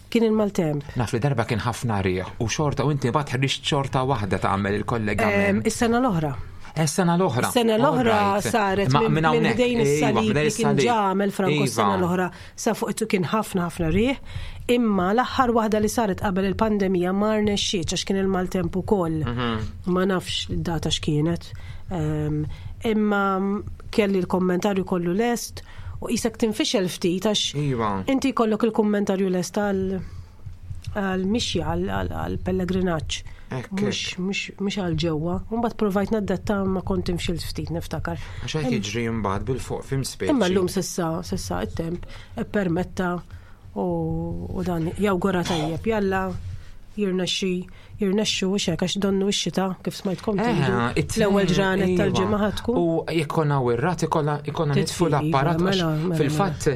kien il-maltemp. Naf li darba kien ħafna riħ u xorta u inti mbagħad ħriġt xorta waħda tagħmel il-kollegament. Is-sena l-oħra. Is-sena l-oħra. Is-sena l-oħra All right. saret Ma minn minn hawnhekk, ħdejn iva, is-salib minn li kien is-salib. ġamel Franco Iva. s-sena l-oħra sa fuq itu kien ħafna ħafna riħ, imma l-aħħar waħda li saret qabel il-pandemija ma rnexxietx għax kien il-maltemp ukoll. Mhm. Ma nafx id-data x'kienet. Imma kelli l-kommentarju kollu lest u qisek tinfixel ftit għax Iva. inti jkollok il-kommentarju lest għal għal-mixja, għal-pellegrinaġġ. Ekk, Mhux għal ġewwa. Mbagħad provajt naddatta ma kont imxilt ftit niftakar. Għax hekk jiġri mbagħad bil-fuq fim speċi. Imma llum sissa, sissa it-temp ippermetta u dan jawgura tajjeb. Jalla jirnexxi jirnexxu u xek għax donnu x-xita kif smajtkom tgħidu. L-ewwel ġranet iva. tal-ġimgħa ħa tkun. U jekk konna wirrat ikolla ikonna Titfi, nitfu iva, l-apparat għax mela, mela, fil-fatt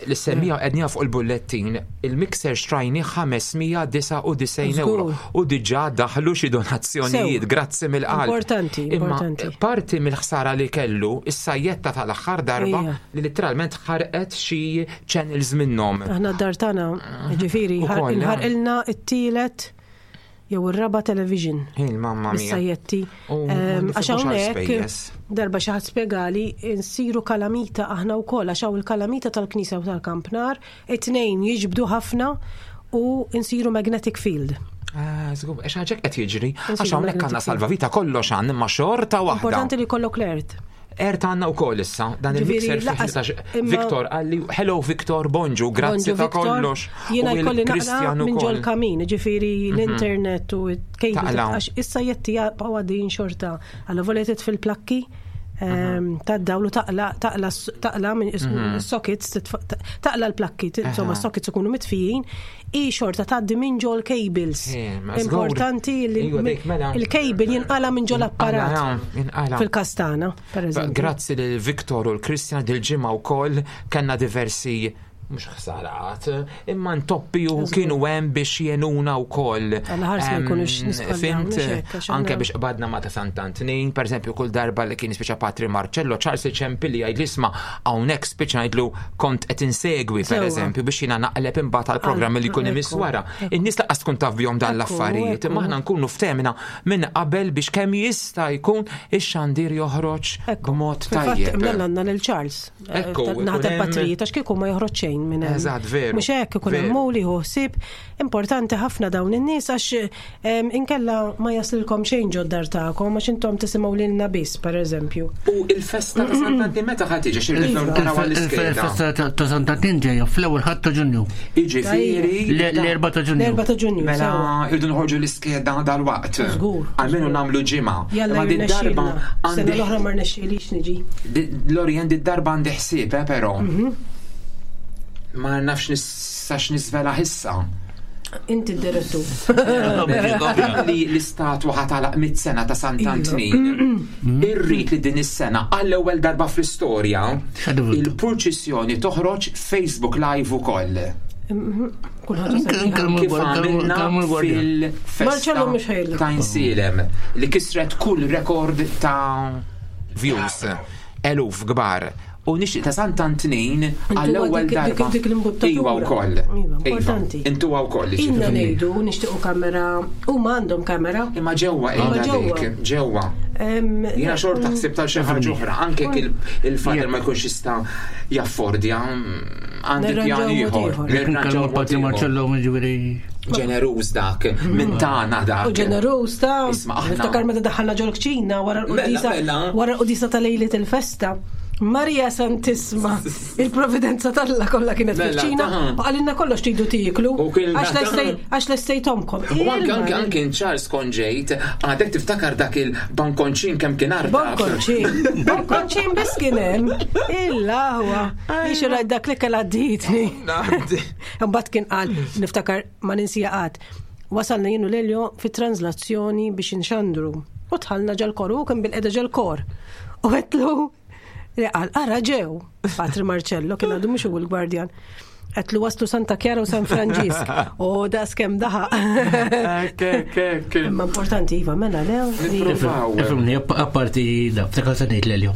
l-semmija qednija fuq il-bullettin il-mixer xtrajni 599 euro Żgur. u diġà daħlu xi donazzjonijiet Sew. grazzi mill-qalb. Importanti, Imma importanti. parti mill-ħsara li kellu is-sajjetta tal-aħħar darba Ija. li literalment ħarqet xi channels minnhom. Aħna d-dar tagħna, ġifieri, Ukoll, eh. inħarqilna t-tielet jew ir-raba television. Il mamma mia. Bis-sajjetti. U ma Għax nifhmux għal hawnhekk spejjeż. darba xi ħadd spjegali nsiru kalamita aħna wkoll għax hawn il-kalamita tal-Knisja u tal-Kampnar, it-tnejn jiġbdu ħafna u nsiru magnetic field. Ah, żgur, għax ħaġa qed jiġri, għax Insiru hawnhekk għandna magnetic field. salvavita kollox għand imma xorta waħda. Importanti li jkollok l-ert. Ert għandna wkoll issa, dan Ġifieri, il-mixer fih laqas- imma- Viktor għalli, hello Viktor, bonġu, grazzi Bonġu, ta' Victor. kollox. Jiena U jkolli naqra il-Kristjan minn ġol ukoll. Mhm. kamin, ġifieri l-internet u cable. Taqla. Għax issa jetti jaqgħu għaddejjin xorta. Alla volja fil plakki ta' dawlu taqla taqla taqla minn sockets taqla l-plakki, insomma Aha. sockets ikunu mitfijin, i xorta tgħaddi minn ġol cables. Eh, ma żgur. Importanti li Iva, dik, mela. il-cable jinqala minn ġol apparat. Inqala. Fil-kastana, per eżempju. Grazzi lil Viktor u l-Kristjan dil-ġimgħa wkoll kellna diversi Mhux ħsarat, imma ntoppi u kienu hemm biex jenuna wkoll. Alla ħares ma jkunux nisqallaw, Fimt, mhux hekk, għax anke aħna- biex qbadna ma ta' Sant'Antnin, per eżempju, kull darba li kien speċa Patri Marcello, Charles Ċempilli jgħid isma' hawnhekk speċa ngħidlu kont qed insegwi per Sewwa. eżempju biex jiena naqleb imbagħad għall-programm li jkun imiss Ekku, wara. In-nies laqas tkun taf bihom dan Ekku, l-affarijiet, imma ekku. aħna nkunu ftemna minn qabel biex kemm jista' jkun ix-xandir joħroġ b'mod Fil-fatt, tajjeb. mela għandna lil Charles. eh, Ekku, ikun Naħat hemm- il-patrijiet, għax kieku ma joħroġ xejn minn hemm. Eżatt, veru, Mhux hekk ikun hemm veru. muli hu ħsieb. Importanti ħafna dawn in-nies għax em, inkella ma jaslilkom xejn ġod-dar tagħkom għax intom tisimgħu lilna biss, pereżempju. U il-festa ta' Sant'Antnin meta ħad tiġi xi rridu naraw għall-iskeda. Il-festa ta' Sant'Antin ġejja fl-ewwel ħadd ta' Ġunju. Jiġifieri L-4 ta' Ġunju. L-4 ta' Ġunju. Mela sewwa. irridu nħorġu l-iskeda dal-waqt. Żgur. Almenu nagħmlu ġimgħa. Jalla Imma din darba jirnexxielna. Sena għandi l-oħra ma rnexxielix niġi. Lorien di darba għandi ħsieb, eh, però. Ma nafx nistax nisvela ħissa. Inti d-direttur. Li l-istatwa ħatalaq mit sena ta' Sant'Antnin. Irrid li din is-sena għall-ewwel darba fl-istorja il-purċissjoni toħroġ Facebook Live ukoll. Kulħadd sabiħa. Kif għamilna fil-festa Marcello mhux ħejlek. ta' Insilem li kisret kull rekord ta' views eluf kbar. U nixtieq ta' Sant'Antnin għall-ewwel dik- dik- darba. dik l-imbuttatura. Iwa wkoll. Iva, importanti. Intuwa wkoll. Inna jiġifieri. ngħidu nixtiequ kamera, huma għandhom kamera. Imma ġewwa Imma qiegħda ġewwa. dik, ġewwa. Em, Jiena xorta ħsib tal xi ħaġa oħra, anke jekk il-fader ma jkunx jista' jaffordja għandi Nirranġaw pjan mod ieħor. ieħor. Jekk Nirranġaw nkellmu mod Patri ieħor. Marcello ġifieri. Ġeneruż dak, minn tagħna dak. U ġeneruż ta' Isma' aħna- niftakar meta daħħalna ġol kċina wara l-qudisa Mela, mela. wara l-qudisa ta' lejliet il-festa. Marija Santisma, il-providenza talla kollha kienet Mela, fil-kċina, ta' u qalilna kollox tridu tieklu. U kien Għax ta' lestej- Għax lestejtomkom. U anke anke anke Charles konġejt, għadek tiftakar dak il-bankonċin kemm kien arda. Bonkonċin, bonkonċin biss kien hemm. Illa huwa. Biex rajt dak li kellha għadditni. Mbagħad kien qal, niftakar ma ninsija qatt. Wasalna jienu Lelio fit-translazzjoni biex inxandru. U tħallna ġal-kor, u kien bil-qeda ġal-kor. U għetlu, li qal, ara ġew, Patri Marcello, kien għadu mhux hu l-gwardjan. Għetlu waslu Santa Chiara u San Franġisk. U da skem daħaq. Imma importanti, Iva, mela lew. Ifimni, apparti da, ftakar se ngħid l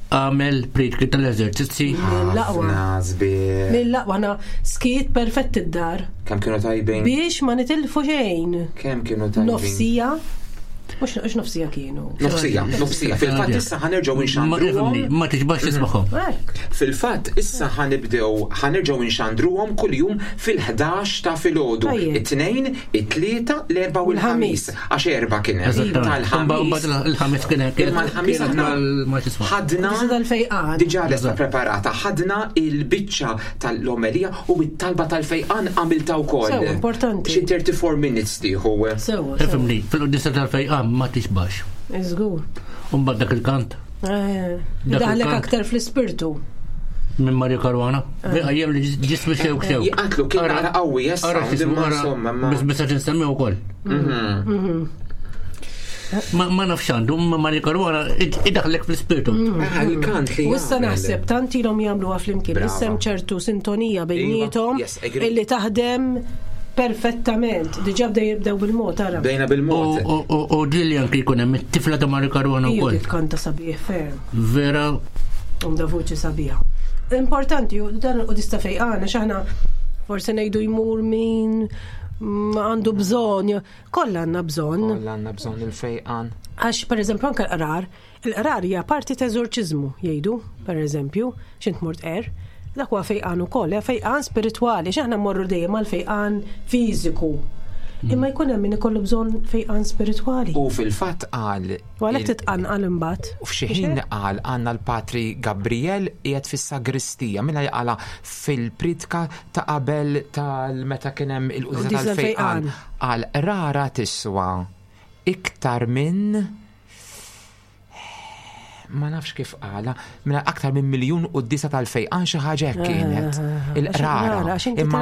Għamel pritki tal-eżerċizzi. Mill-aqwa. Sbieħ. Mill-aqwa na skiet perfett id-dar. Kemm kienu tajbin? Biex ma nitilfu xejn. Kemm kienu tajbin? Nofsija. Mux mhux nofsija kienu. Nofsija, nofsija. Fil-fatt issa ħanerġgħu inxandruhom. Ma tiġbax tismaħom. Fil-fatt issa ħanibdew ħanerġgħu inxandruhom kuljum fil-11 ta' filgħodu. Tajjeb. It-tnejn, it-tlieta, l-erba' u l-ħamis. Għax erba' kien hemm. Eżattament. Tal-ħamis. Il-ħamis kien hemm. Imma l-ħamis aħna ma tisma'. ħadna Qudisa tal-fejqan. Diġà lesta preparata, ħadna il-biċċa tal-omelija u it-talba tal-fejqan għamilta wkoll. Sewa, importanti. Xi 34 minutes tieħu. Sewa, sewa. Ifimni, fil-qudisa tal-fejqan ma tixbax. Iżgur. Umbagħad dak il-kant Eh, Dak Daħlek il-kant. aktar fl-ispirtu. minn Mario Caruana. Għajjem li ġismi xewk xewk. Jaqatlu kien naqra qawwi issa, Ara x'ismu, imma ara, insomma, ma- Biss biss qed insemmi wkoll. Ma ma nafx għandu, ma Mario Caruana id- idaħlek fl-ispirtu. Ah, il-kant li U issa jagħmel. naħseb tant ilhom jagħmluha flimkien. Brava. Issa hemm ċertu sintonija bejniethom Iva, yes, agree. illi taħdem perfettament. Diġà bdew jibdew bil-mod ara. Bdejna bil-mod. U- U u ġili anki jkun hemm it-tifla ta' Mario Caruana Iju wkoll. dik kanta sabiħ ferm. Vera Għandha vuċi sabiħa. Importanti, u dan u dista fejqana, xaħna forse ngħidu jmur min ma għandu bżonn, kollha għandna bżonn. Kollha għandna bżonn il-fejqan. Għax, per eżempju, anke l-qrar, il-qrar hija parti ta' eżorċiżmu, jgħidu, per eżempju, xint mort er, dak huwa fejqan ukoll, hija fejqan spiritwali, x'aħna mmorru dejjem għal fejqan fiżiku. Imma jkun hemm min ikollu bżonn fejqan spiritwali. U fil-fatt qal U għalhekk titqanqal imbagħad. U f'xi ħin qal għandna l-Patri Gabriel qiegħed fis-sagristija minna li qala fil-pritka ta' qabel tal-meta kien hemm il-qudisa Qudisa tal-fejqan. tal-fejqan. Qal rara tiswa iktar minn Ma nafx kif qala, mela aktar minn miljun quddiesa tal-fejqan xi ħaġa hekk kienet. Ah, Il-qrara. Imma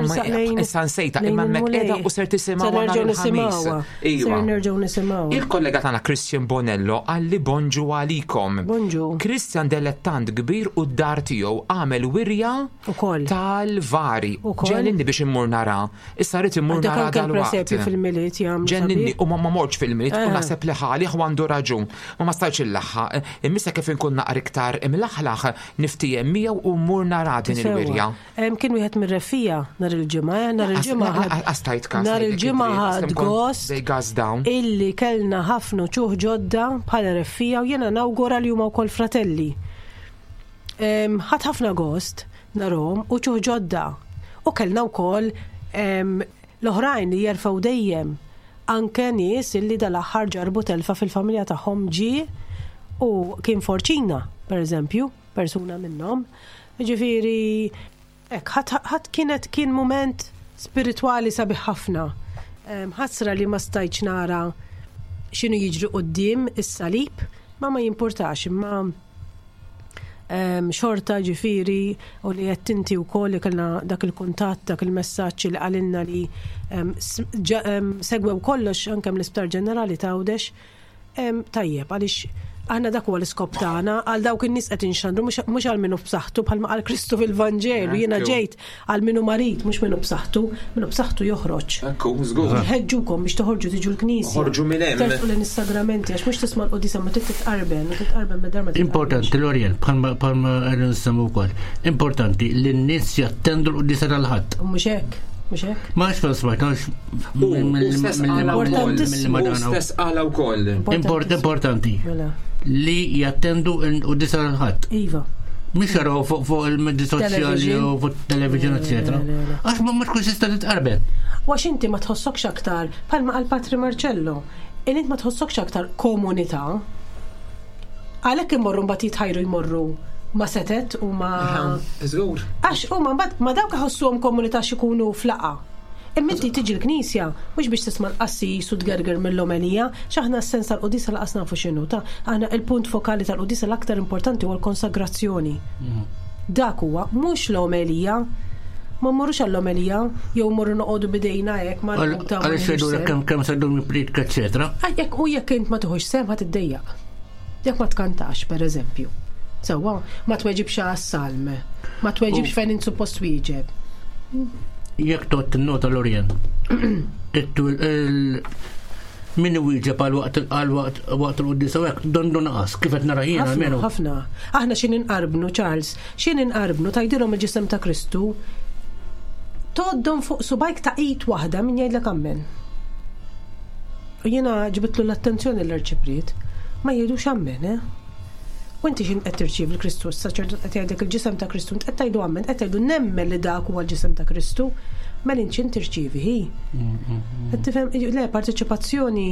issa nsejta, imma hemmhekk qiegħda u ser tisimgħu nhar il-Ħamis. Iva. Ser nerġgħu nisimgħu. Il-kollega tagħna Christian Bonello qalli bonġu għalikom. Bonġu. Christian delettant kbir u d-dar tiegħu għamel wirja tal-vari. Ġenninni biex immur nara. Issa rrid immur nara dal-waqt. fil-Milied jagħmlu. Ġenninni u ma mortx fil-Milied u eh. naħseb li ħali għandu raġun. Ma ma stajtx illaħħaq. Imma issa kif inkun naqra iktar imlaħlaħ niftiehem miegħu u mmur nara din il-wirja. Kien wieħed mir-reffija nhar il-Ġimgħa, eh, nhar il-Ġimgħa ħadd. Nhar il-Ġimgħa ħadd gost illi kellna ħafna ċuħ ġodda bħala reffija u jiena nawgura li huma wkoll fratelli. Ħadd ħafna gost narhom u ċuħ ġodda. U kellna wkoll l-oħrajn li jerfgħu dejjem Anke nies illi dal-aħħar ġarrbu telfa fil-familja tagħhom ġie u kien forċina, per eżempju, persuna minnhom. Ġifieri, hekk, ħadd kienet kien mument spiritwali sabiħ ħafna. Ħasra li ma stajtx nara x'inhu jiġri quddiem is-salib, ma ma jimpurtax, imma xorta ġifiri u li qed inti wkoll li kellna dak il-kuntatt, dak il-messaġġ li qalilna li segwew kollox anke mill-Isptar Ġenerali ta' Għawdex. Tajjeb, għaliex aħna dak huwa l-iskop tagħna għal dawk in-nies qed inxandru mhux għal minnu b'saħħtu bħalma qal Kristu fil-Vanġelu, jiena ġejt għal min hu marid, mhux min hu b'saħħtu, min hu b'saħħtu joħroġ. Ekku, żgur. Nħeġġukom biex toħorġu tiġu l-knisja. Oħorġu minn hemm. Tersqu lejn is-sagramenti għax mhux tisma' l-quddiesa ma trid titqarben, u titqarben mid-dar ma Importanti l-Orjent, bħalma qegħdin nsemmu wkoll. Importanti li n-nies jattendu l-quddiesa tal-Ħadd. Mhux hekk. Mhux hekk? Ma nafx fejn smajt, għax Stess qala wkoll. Importanti. Mela. Li jattendu l-quddiesa tal-Ħadd. Iva. Mhux jaraw fuq il-mezzi soċjali u fuq television, eccetera. Għax ma tkunx tista' titqarben. Għax inti ma tħossokx aktar, bħalma qal Patri Marcello, int ma tħossokx aktar komunità. Għalhekk imorru mbagħad jitħajru jmorru ma setet u ma. Żgur. Għax huma mbagħad ma dawk iħossuhom komunità x'ikunu flaqa. Imma inti tiġi l-knisja mhux biex tisma' l-qassis u tgerger mill-omelija, x'aħna s-sens tal-quddiesa lanqas nafu x'inhu, ta' aħna il-punt fokali tal-quddiesa l-aktar importanti huwa l-konsagrazzjoni. Dak huwa, mhux l-omelija. Ma mmorrux għall-omelija jew mmorru noqogħdu b'idejna hekk marbuta. Għaliex jgħidulek kemm kemm se ddum jippriedka eċċetera. Jekk u jekk int ma tieħux sehem ħa tiddejjaq. Jekk ma tkantax, pereżempju. Sewwa, ma tweġibx għas-salm, ma tweġibx fejn int suppost twieġeb. Jekk tot nota l-Orient, min iwieġeb għal waqt għal waqt waqt il-quddiesa u hekk dondu naqas kif qed nara jiena almenu. Ħafna. Aħna xi ninqarbnu, Charles, xi ninqarbnu tgħidilhom il-ġisem ta' Kristu tgħoddhom fuq subajk ta' id waħda min jgħidlek ammen. U jiena ġbidtlu l-attenzjoni l-arċipriet, ma jgħidux ammen, eh? U inti x'int qed tirċievi l-Kristu, s-saċerdot qed jgħidlek il-ġisem ta' Kristu, int qed tgħidu ammen, qed tgħidu nemmen li dak huwa l-ġisem ta' Kristu, mela int x'int tirċievi hi? Qed tifhem, le, parteċipazzjoni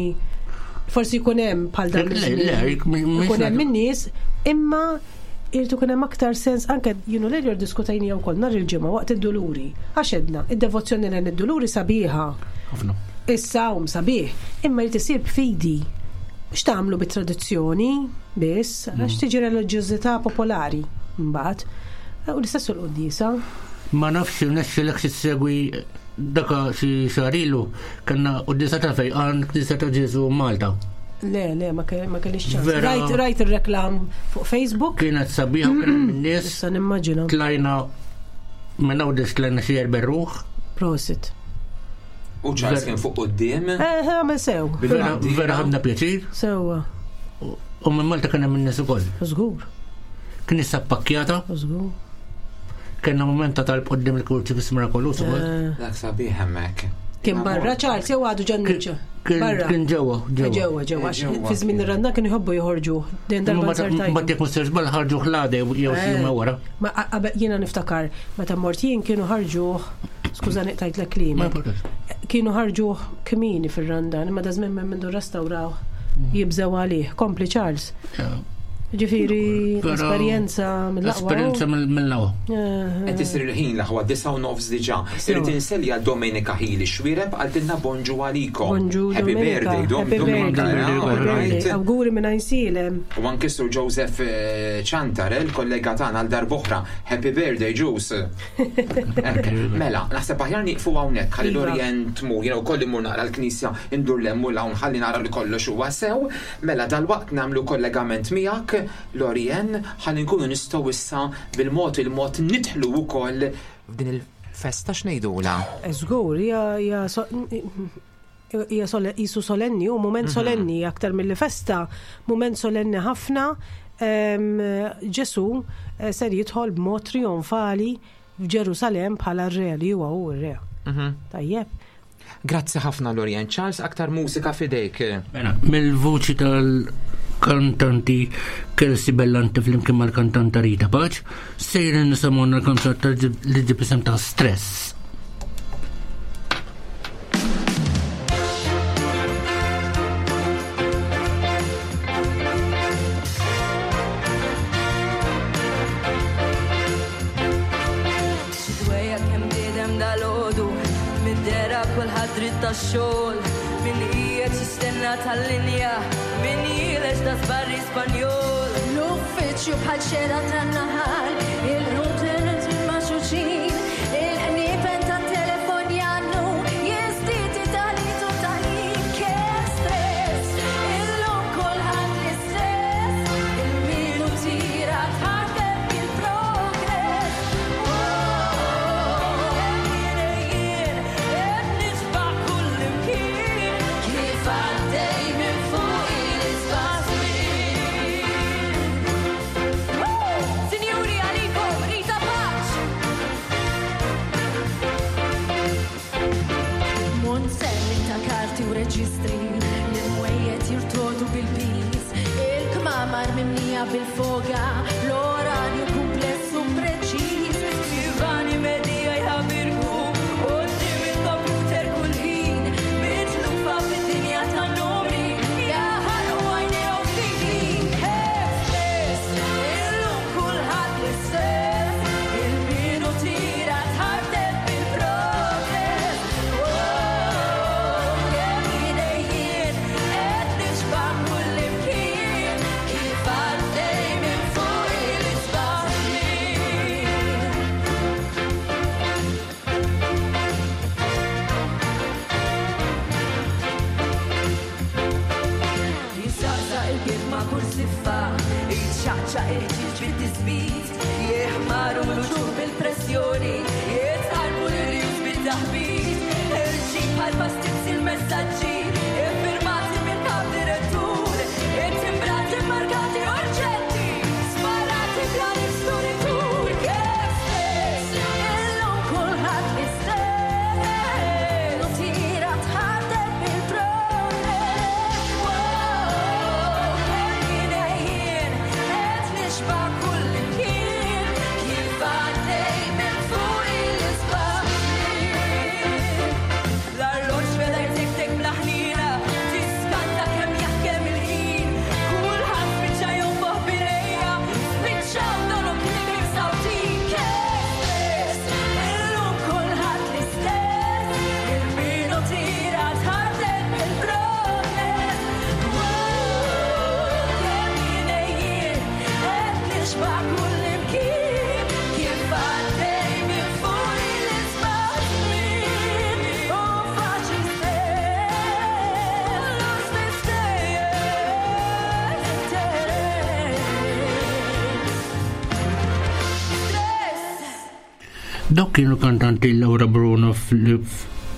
forsi jkun hemm bħal dan. Jkun hemm in-nies, imma irid ikun hemm aktar sens anke jienu l diskutajnija wkoll nhar il-ġimgħa waqt id-duluri. Għax edna, id-devozzjoni lejn id-duluri sabiħa. Ħafna. Is-sawm sabiħ, imma jrid isir b'fidi. Mhux tagħmlu bit-tradizzjoni biss, għax tiġi reliġjożità popolari mbagħad. U l-istess l-quddiesa. Ma nafx irnexxilek xi ssegwi daka xi xahar ilu kellna quddiesa ta' fejqan Knisja ta' Ġesu Malta. Le, le, ma kellix ċans. Rajt, rajt ir-reklam fuq Facebook. Kienet sabiħa u kien hemm nies. Issa nimmaġina. Tlajna minn Għawdex tlajna xi erba' ruħ. Prosit. U Charles kien fuq quddiem. Eh, eh, għamel sew. Vera ħadna pjaċir. Sewwa. U minn Malta kien hemm in-nies ukoll. Żgur. Kien issa ppakkjata. Żgur. Kenna moment ta' talb quddiem il-kurċifiss mirakoluż ukoll. Eh. Dak sabiħ hemmhekk. Kien barra Charles jew għadu ġanniċ? Barra. Kien ġewwa, ġewwa. Ġewwa, ġewwa. Fi żmien ir-ranna kienu jħobbu joħorġu. Dejjem darba nsertajtu. Mbagħad jekk mhux żball ħarġu ħlade jew xi jum eh. wara. Ma qabel jiena niftakar meta mort jien kienu ħarġuh, skużani qtajtlek kliem. Kienu ħarġuh kmieni fir-randan, imma da żmien minn mindu restawraw jibżgħu għalih. Kompli Charles. Ġifieri esperjenza mill-aqwa. Esperjenza mill-aqwa. Qed isir il-ħin l-aħwa 9:30 diġà. Irrid inselli għal Domenica Hili Xwireb qaltilna bonġu għalikom. Bonġu Happy birthday Dom Domenica. Awguri minn Għajnsielem. U anke Sur Joseph Ċantarel, kollega tagħna għal darb'oħra. Happy birthday Ġus. Mela, naħseb aħjar nieqfu hawnhekk ħalli l-Orient tmur, jiena wkoll immur naqra l-knisja ndur 'l hemm u 'l hawn ħalli nara li kollox huwa sew. Mela dalwaqt nagħmlu kollegament miegħek, Lorien, ħalli nkunu nistgħu issa bil-mod il-mod nidħlu wkoll f'din il-festa x'ngħidulha? Żgur, hija hija hija qisu solenni, hu mument solenni aktar milli festa, mument solenni ħafna. Ġesù ser jidħol b'mod trijonfali f'Ġerusalemm bħala r-re li huwa hu r-re. Tajjeb. Grazzi ħafna Lorien. Charles, aktar mużika f'idejk. Mela, mill-vuċi tal-kantanti Kelsey Bellante flimkien mal-kantanta Rita Pace, sejrin nisimgħu l-kanzunetta li ġib isem ta' Stress. Xi kemm bniedem dal-għodu, mid-dera kulħadd dritt tax-xogħol, min qiegħed jistenna tal-linja, min jileġ da żbarri Spanjol. L-uffiċċju bħal xena tan-naħal, il-ħutet il-maxuxin, il-qniepen tat-telefon jannu, jiżdied it-tagħlit u t-taħin, kemm stress, illum kulħadd l-istess, il-minuti tħaddem il-progress. Kif għaddej minn fuq il-isbażmin. Sinjuri għalikom, Rita Pace! Monzelli ta' karti u reġistri, l-imwejjed jirtodu bil-piż, il-kmamar mimlija bil-foga, l-oranju kumpless u preċiż. Ivani medija jħabirku, quddiem il-computer kull ħin, mitlufa fid-dinja tan-numri, jaħarqu għajnejhom fil-ħin. Stress, illum kulħadd l-istess, il-minutira tħartet bil-progress. Oh, kemm idejjien qed nixba' kullimkien, kif għaddej minn fuq il-isbażmin. Jisaqsaq il-bib ma' kull siffa, jitxaqxaq il-ħġieġ bit-tisbit, jeħmaru l-uċuħ bil-pressjoni, jitqarbu l-irjus bit-taħbit, irġib bħal pastizzi l-messaġġi, iffirmati mill-kap direttur, ittimbrati markati urġenti, sparati bla nifs Kif stess, Illum kulħadd l-istess, nutira tħaddem bil-progress. Wow, kemm idejjien qed nixba' kullimkien, kif għaddej minn fuq il-isbaħmin. L-arloġġ beda jtektek bla ħnina, tiskanta kemm jaħkem il-ħin, kulħadd spiċċa jonfoħ bilejja, spiċċaw donhom kliem imsawtin. Kemm stress, illum kulħadd l-istess, il-minutira tħaddem bil-progress. Wow, kemm idejjien qed nixba' kullimkien, kif għaddej minn fuq il-isbaħmin. U faċli stess, kollox l-istess, Stress. Dawk kienu kantanti Laura Bruno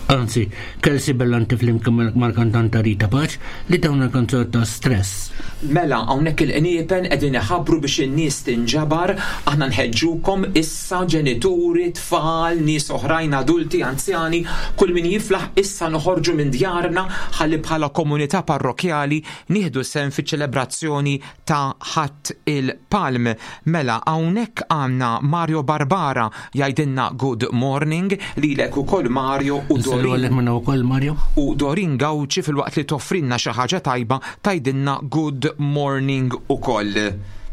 anzi, Kelsey Bellante flimkien mal-kantanta Rita Pace li tawna kanzunetta Stress. Mela, hawnhekk il-qniepen qegħdin iħabbru biex in-nies tinġabar, aħna nħeġġukom issa ġenituri, tfal, nies oħrajn adulti, anzjani, kull min jiflaħ issa noħorġu minn djarna ħalli bħala komunità parrokjali nieħdu sehem fiċ-ċelebrazzjoni ta' Ħadd il-Palm. Mela, hawnhekk għandna Mario Barbara jgħidilna good morning lilek ukoll Mario u Nsallu Dorin. għalek minna wkoll Mario. U Dorin Gauci filwaqt li toffrilna xi ħaġa tajba tgħidilna good morning ukoll.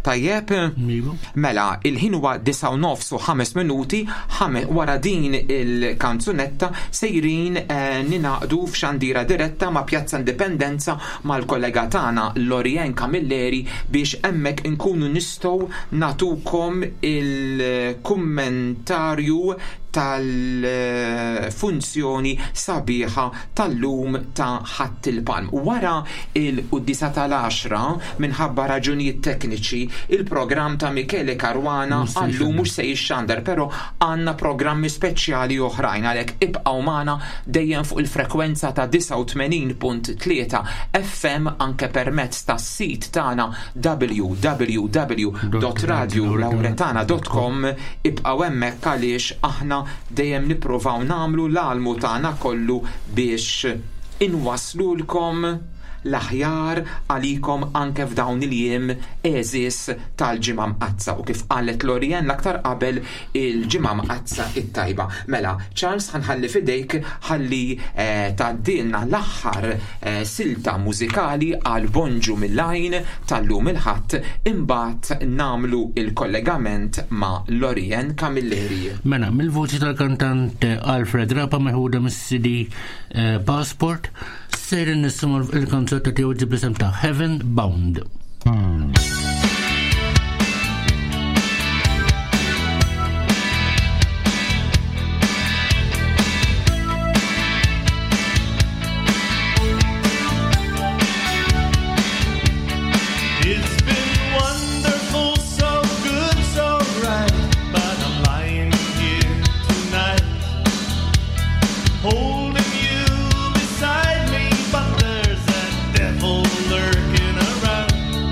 Tajjeb? Iva. Mela, il-ħin huwa 9 u 5 minuti, wara din il-kanzunetta sejrin ningħaqdu f'xandira diretta ma' Pjazza Indipendenza mal-kollega tagħna Lorien Camilleri biex hemmhekk inkunu nistgħu nagħtukom il-kummentarju tal-funzjoni sabiħa tal-lum ta' Ħadd il-Palm. Wara il-quddiesa tal-10 minħabba raġunijiet tekniċi il-programm ta' Michele Caruana għallum mhux se jixxandar, però għandna programmi speċjali oħrajn għalhekk ibqgħu magħna dejjem fuq il-frekwenza ta' 89.3 FM anke permezz tas-sit tagħna www.radiolauretana.com. Ibqgħu hemmhekk għaliex aħna dejjem nippruvaw nagħmlu l-almu tagħna kollu biex inwaslulkom l-aħjar għalikom anke f'dawn il-jiem għeżież tal-Ġimgħa Mqaddsa u kif qalet Lorien l-aktar qabel il-Ġimgħa Mqaddsa it-tajba. Mela, Charles ħanħalli f'idejk ħalli tgħaddilna l-aħħar silta mużikali għal Bonġu mill-Għajn tal-lum il-Ħadd imbagħad nagħmlu il-kollegament ma' Lorien Camilleri. Mela, mill-vuċi tal-kantant Alfred Rapa meħuda mis-CD Passport, sejrin nisimgħu il-kanzunetta tiegħu ġib l-isem ta' Heaven Bound. It's been wonderful, so good, so right, but I'm lying here tonight, holding you beside me, but there's that devil lurking around.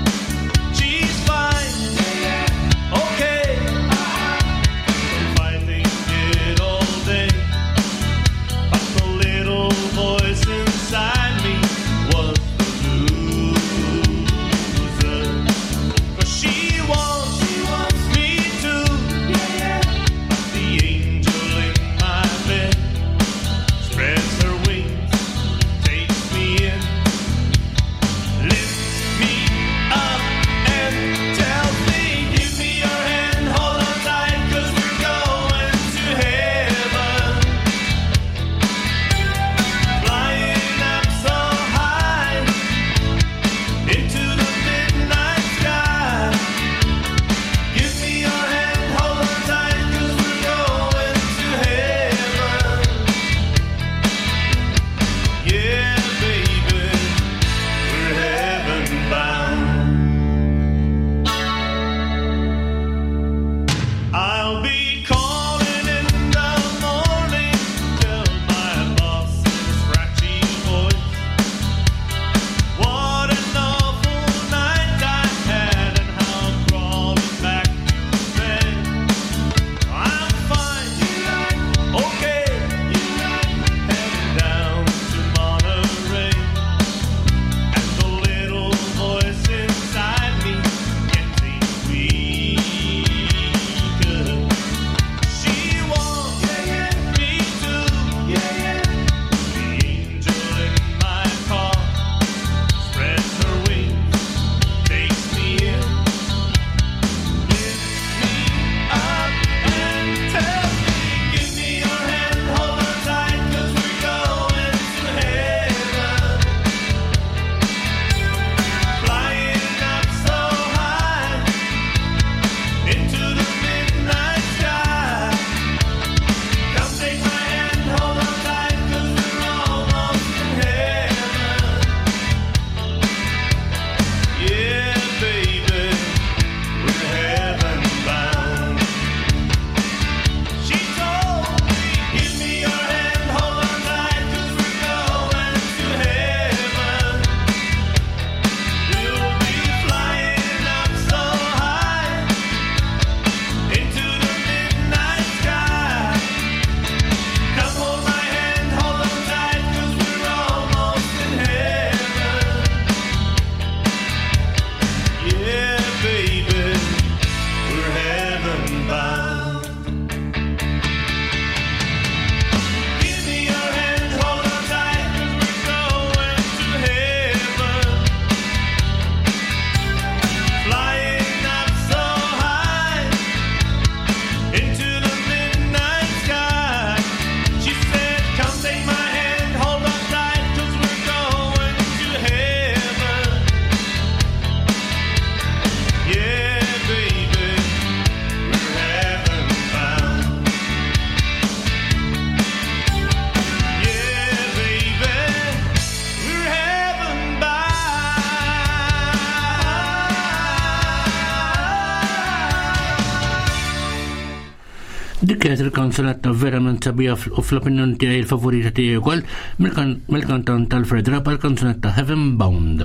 Dik kienet il-kanzunetta verament sabiħa u fl-opinjoni tiegħi il-favorita tiegħi wkoll mill-kantant Alfred Rapa l-kanzunetta Heaven Bound.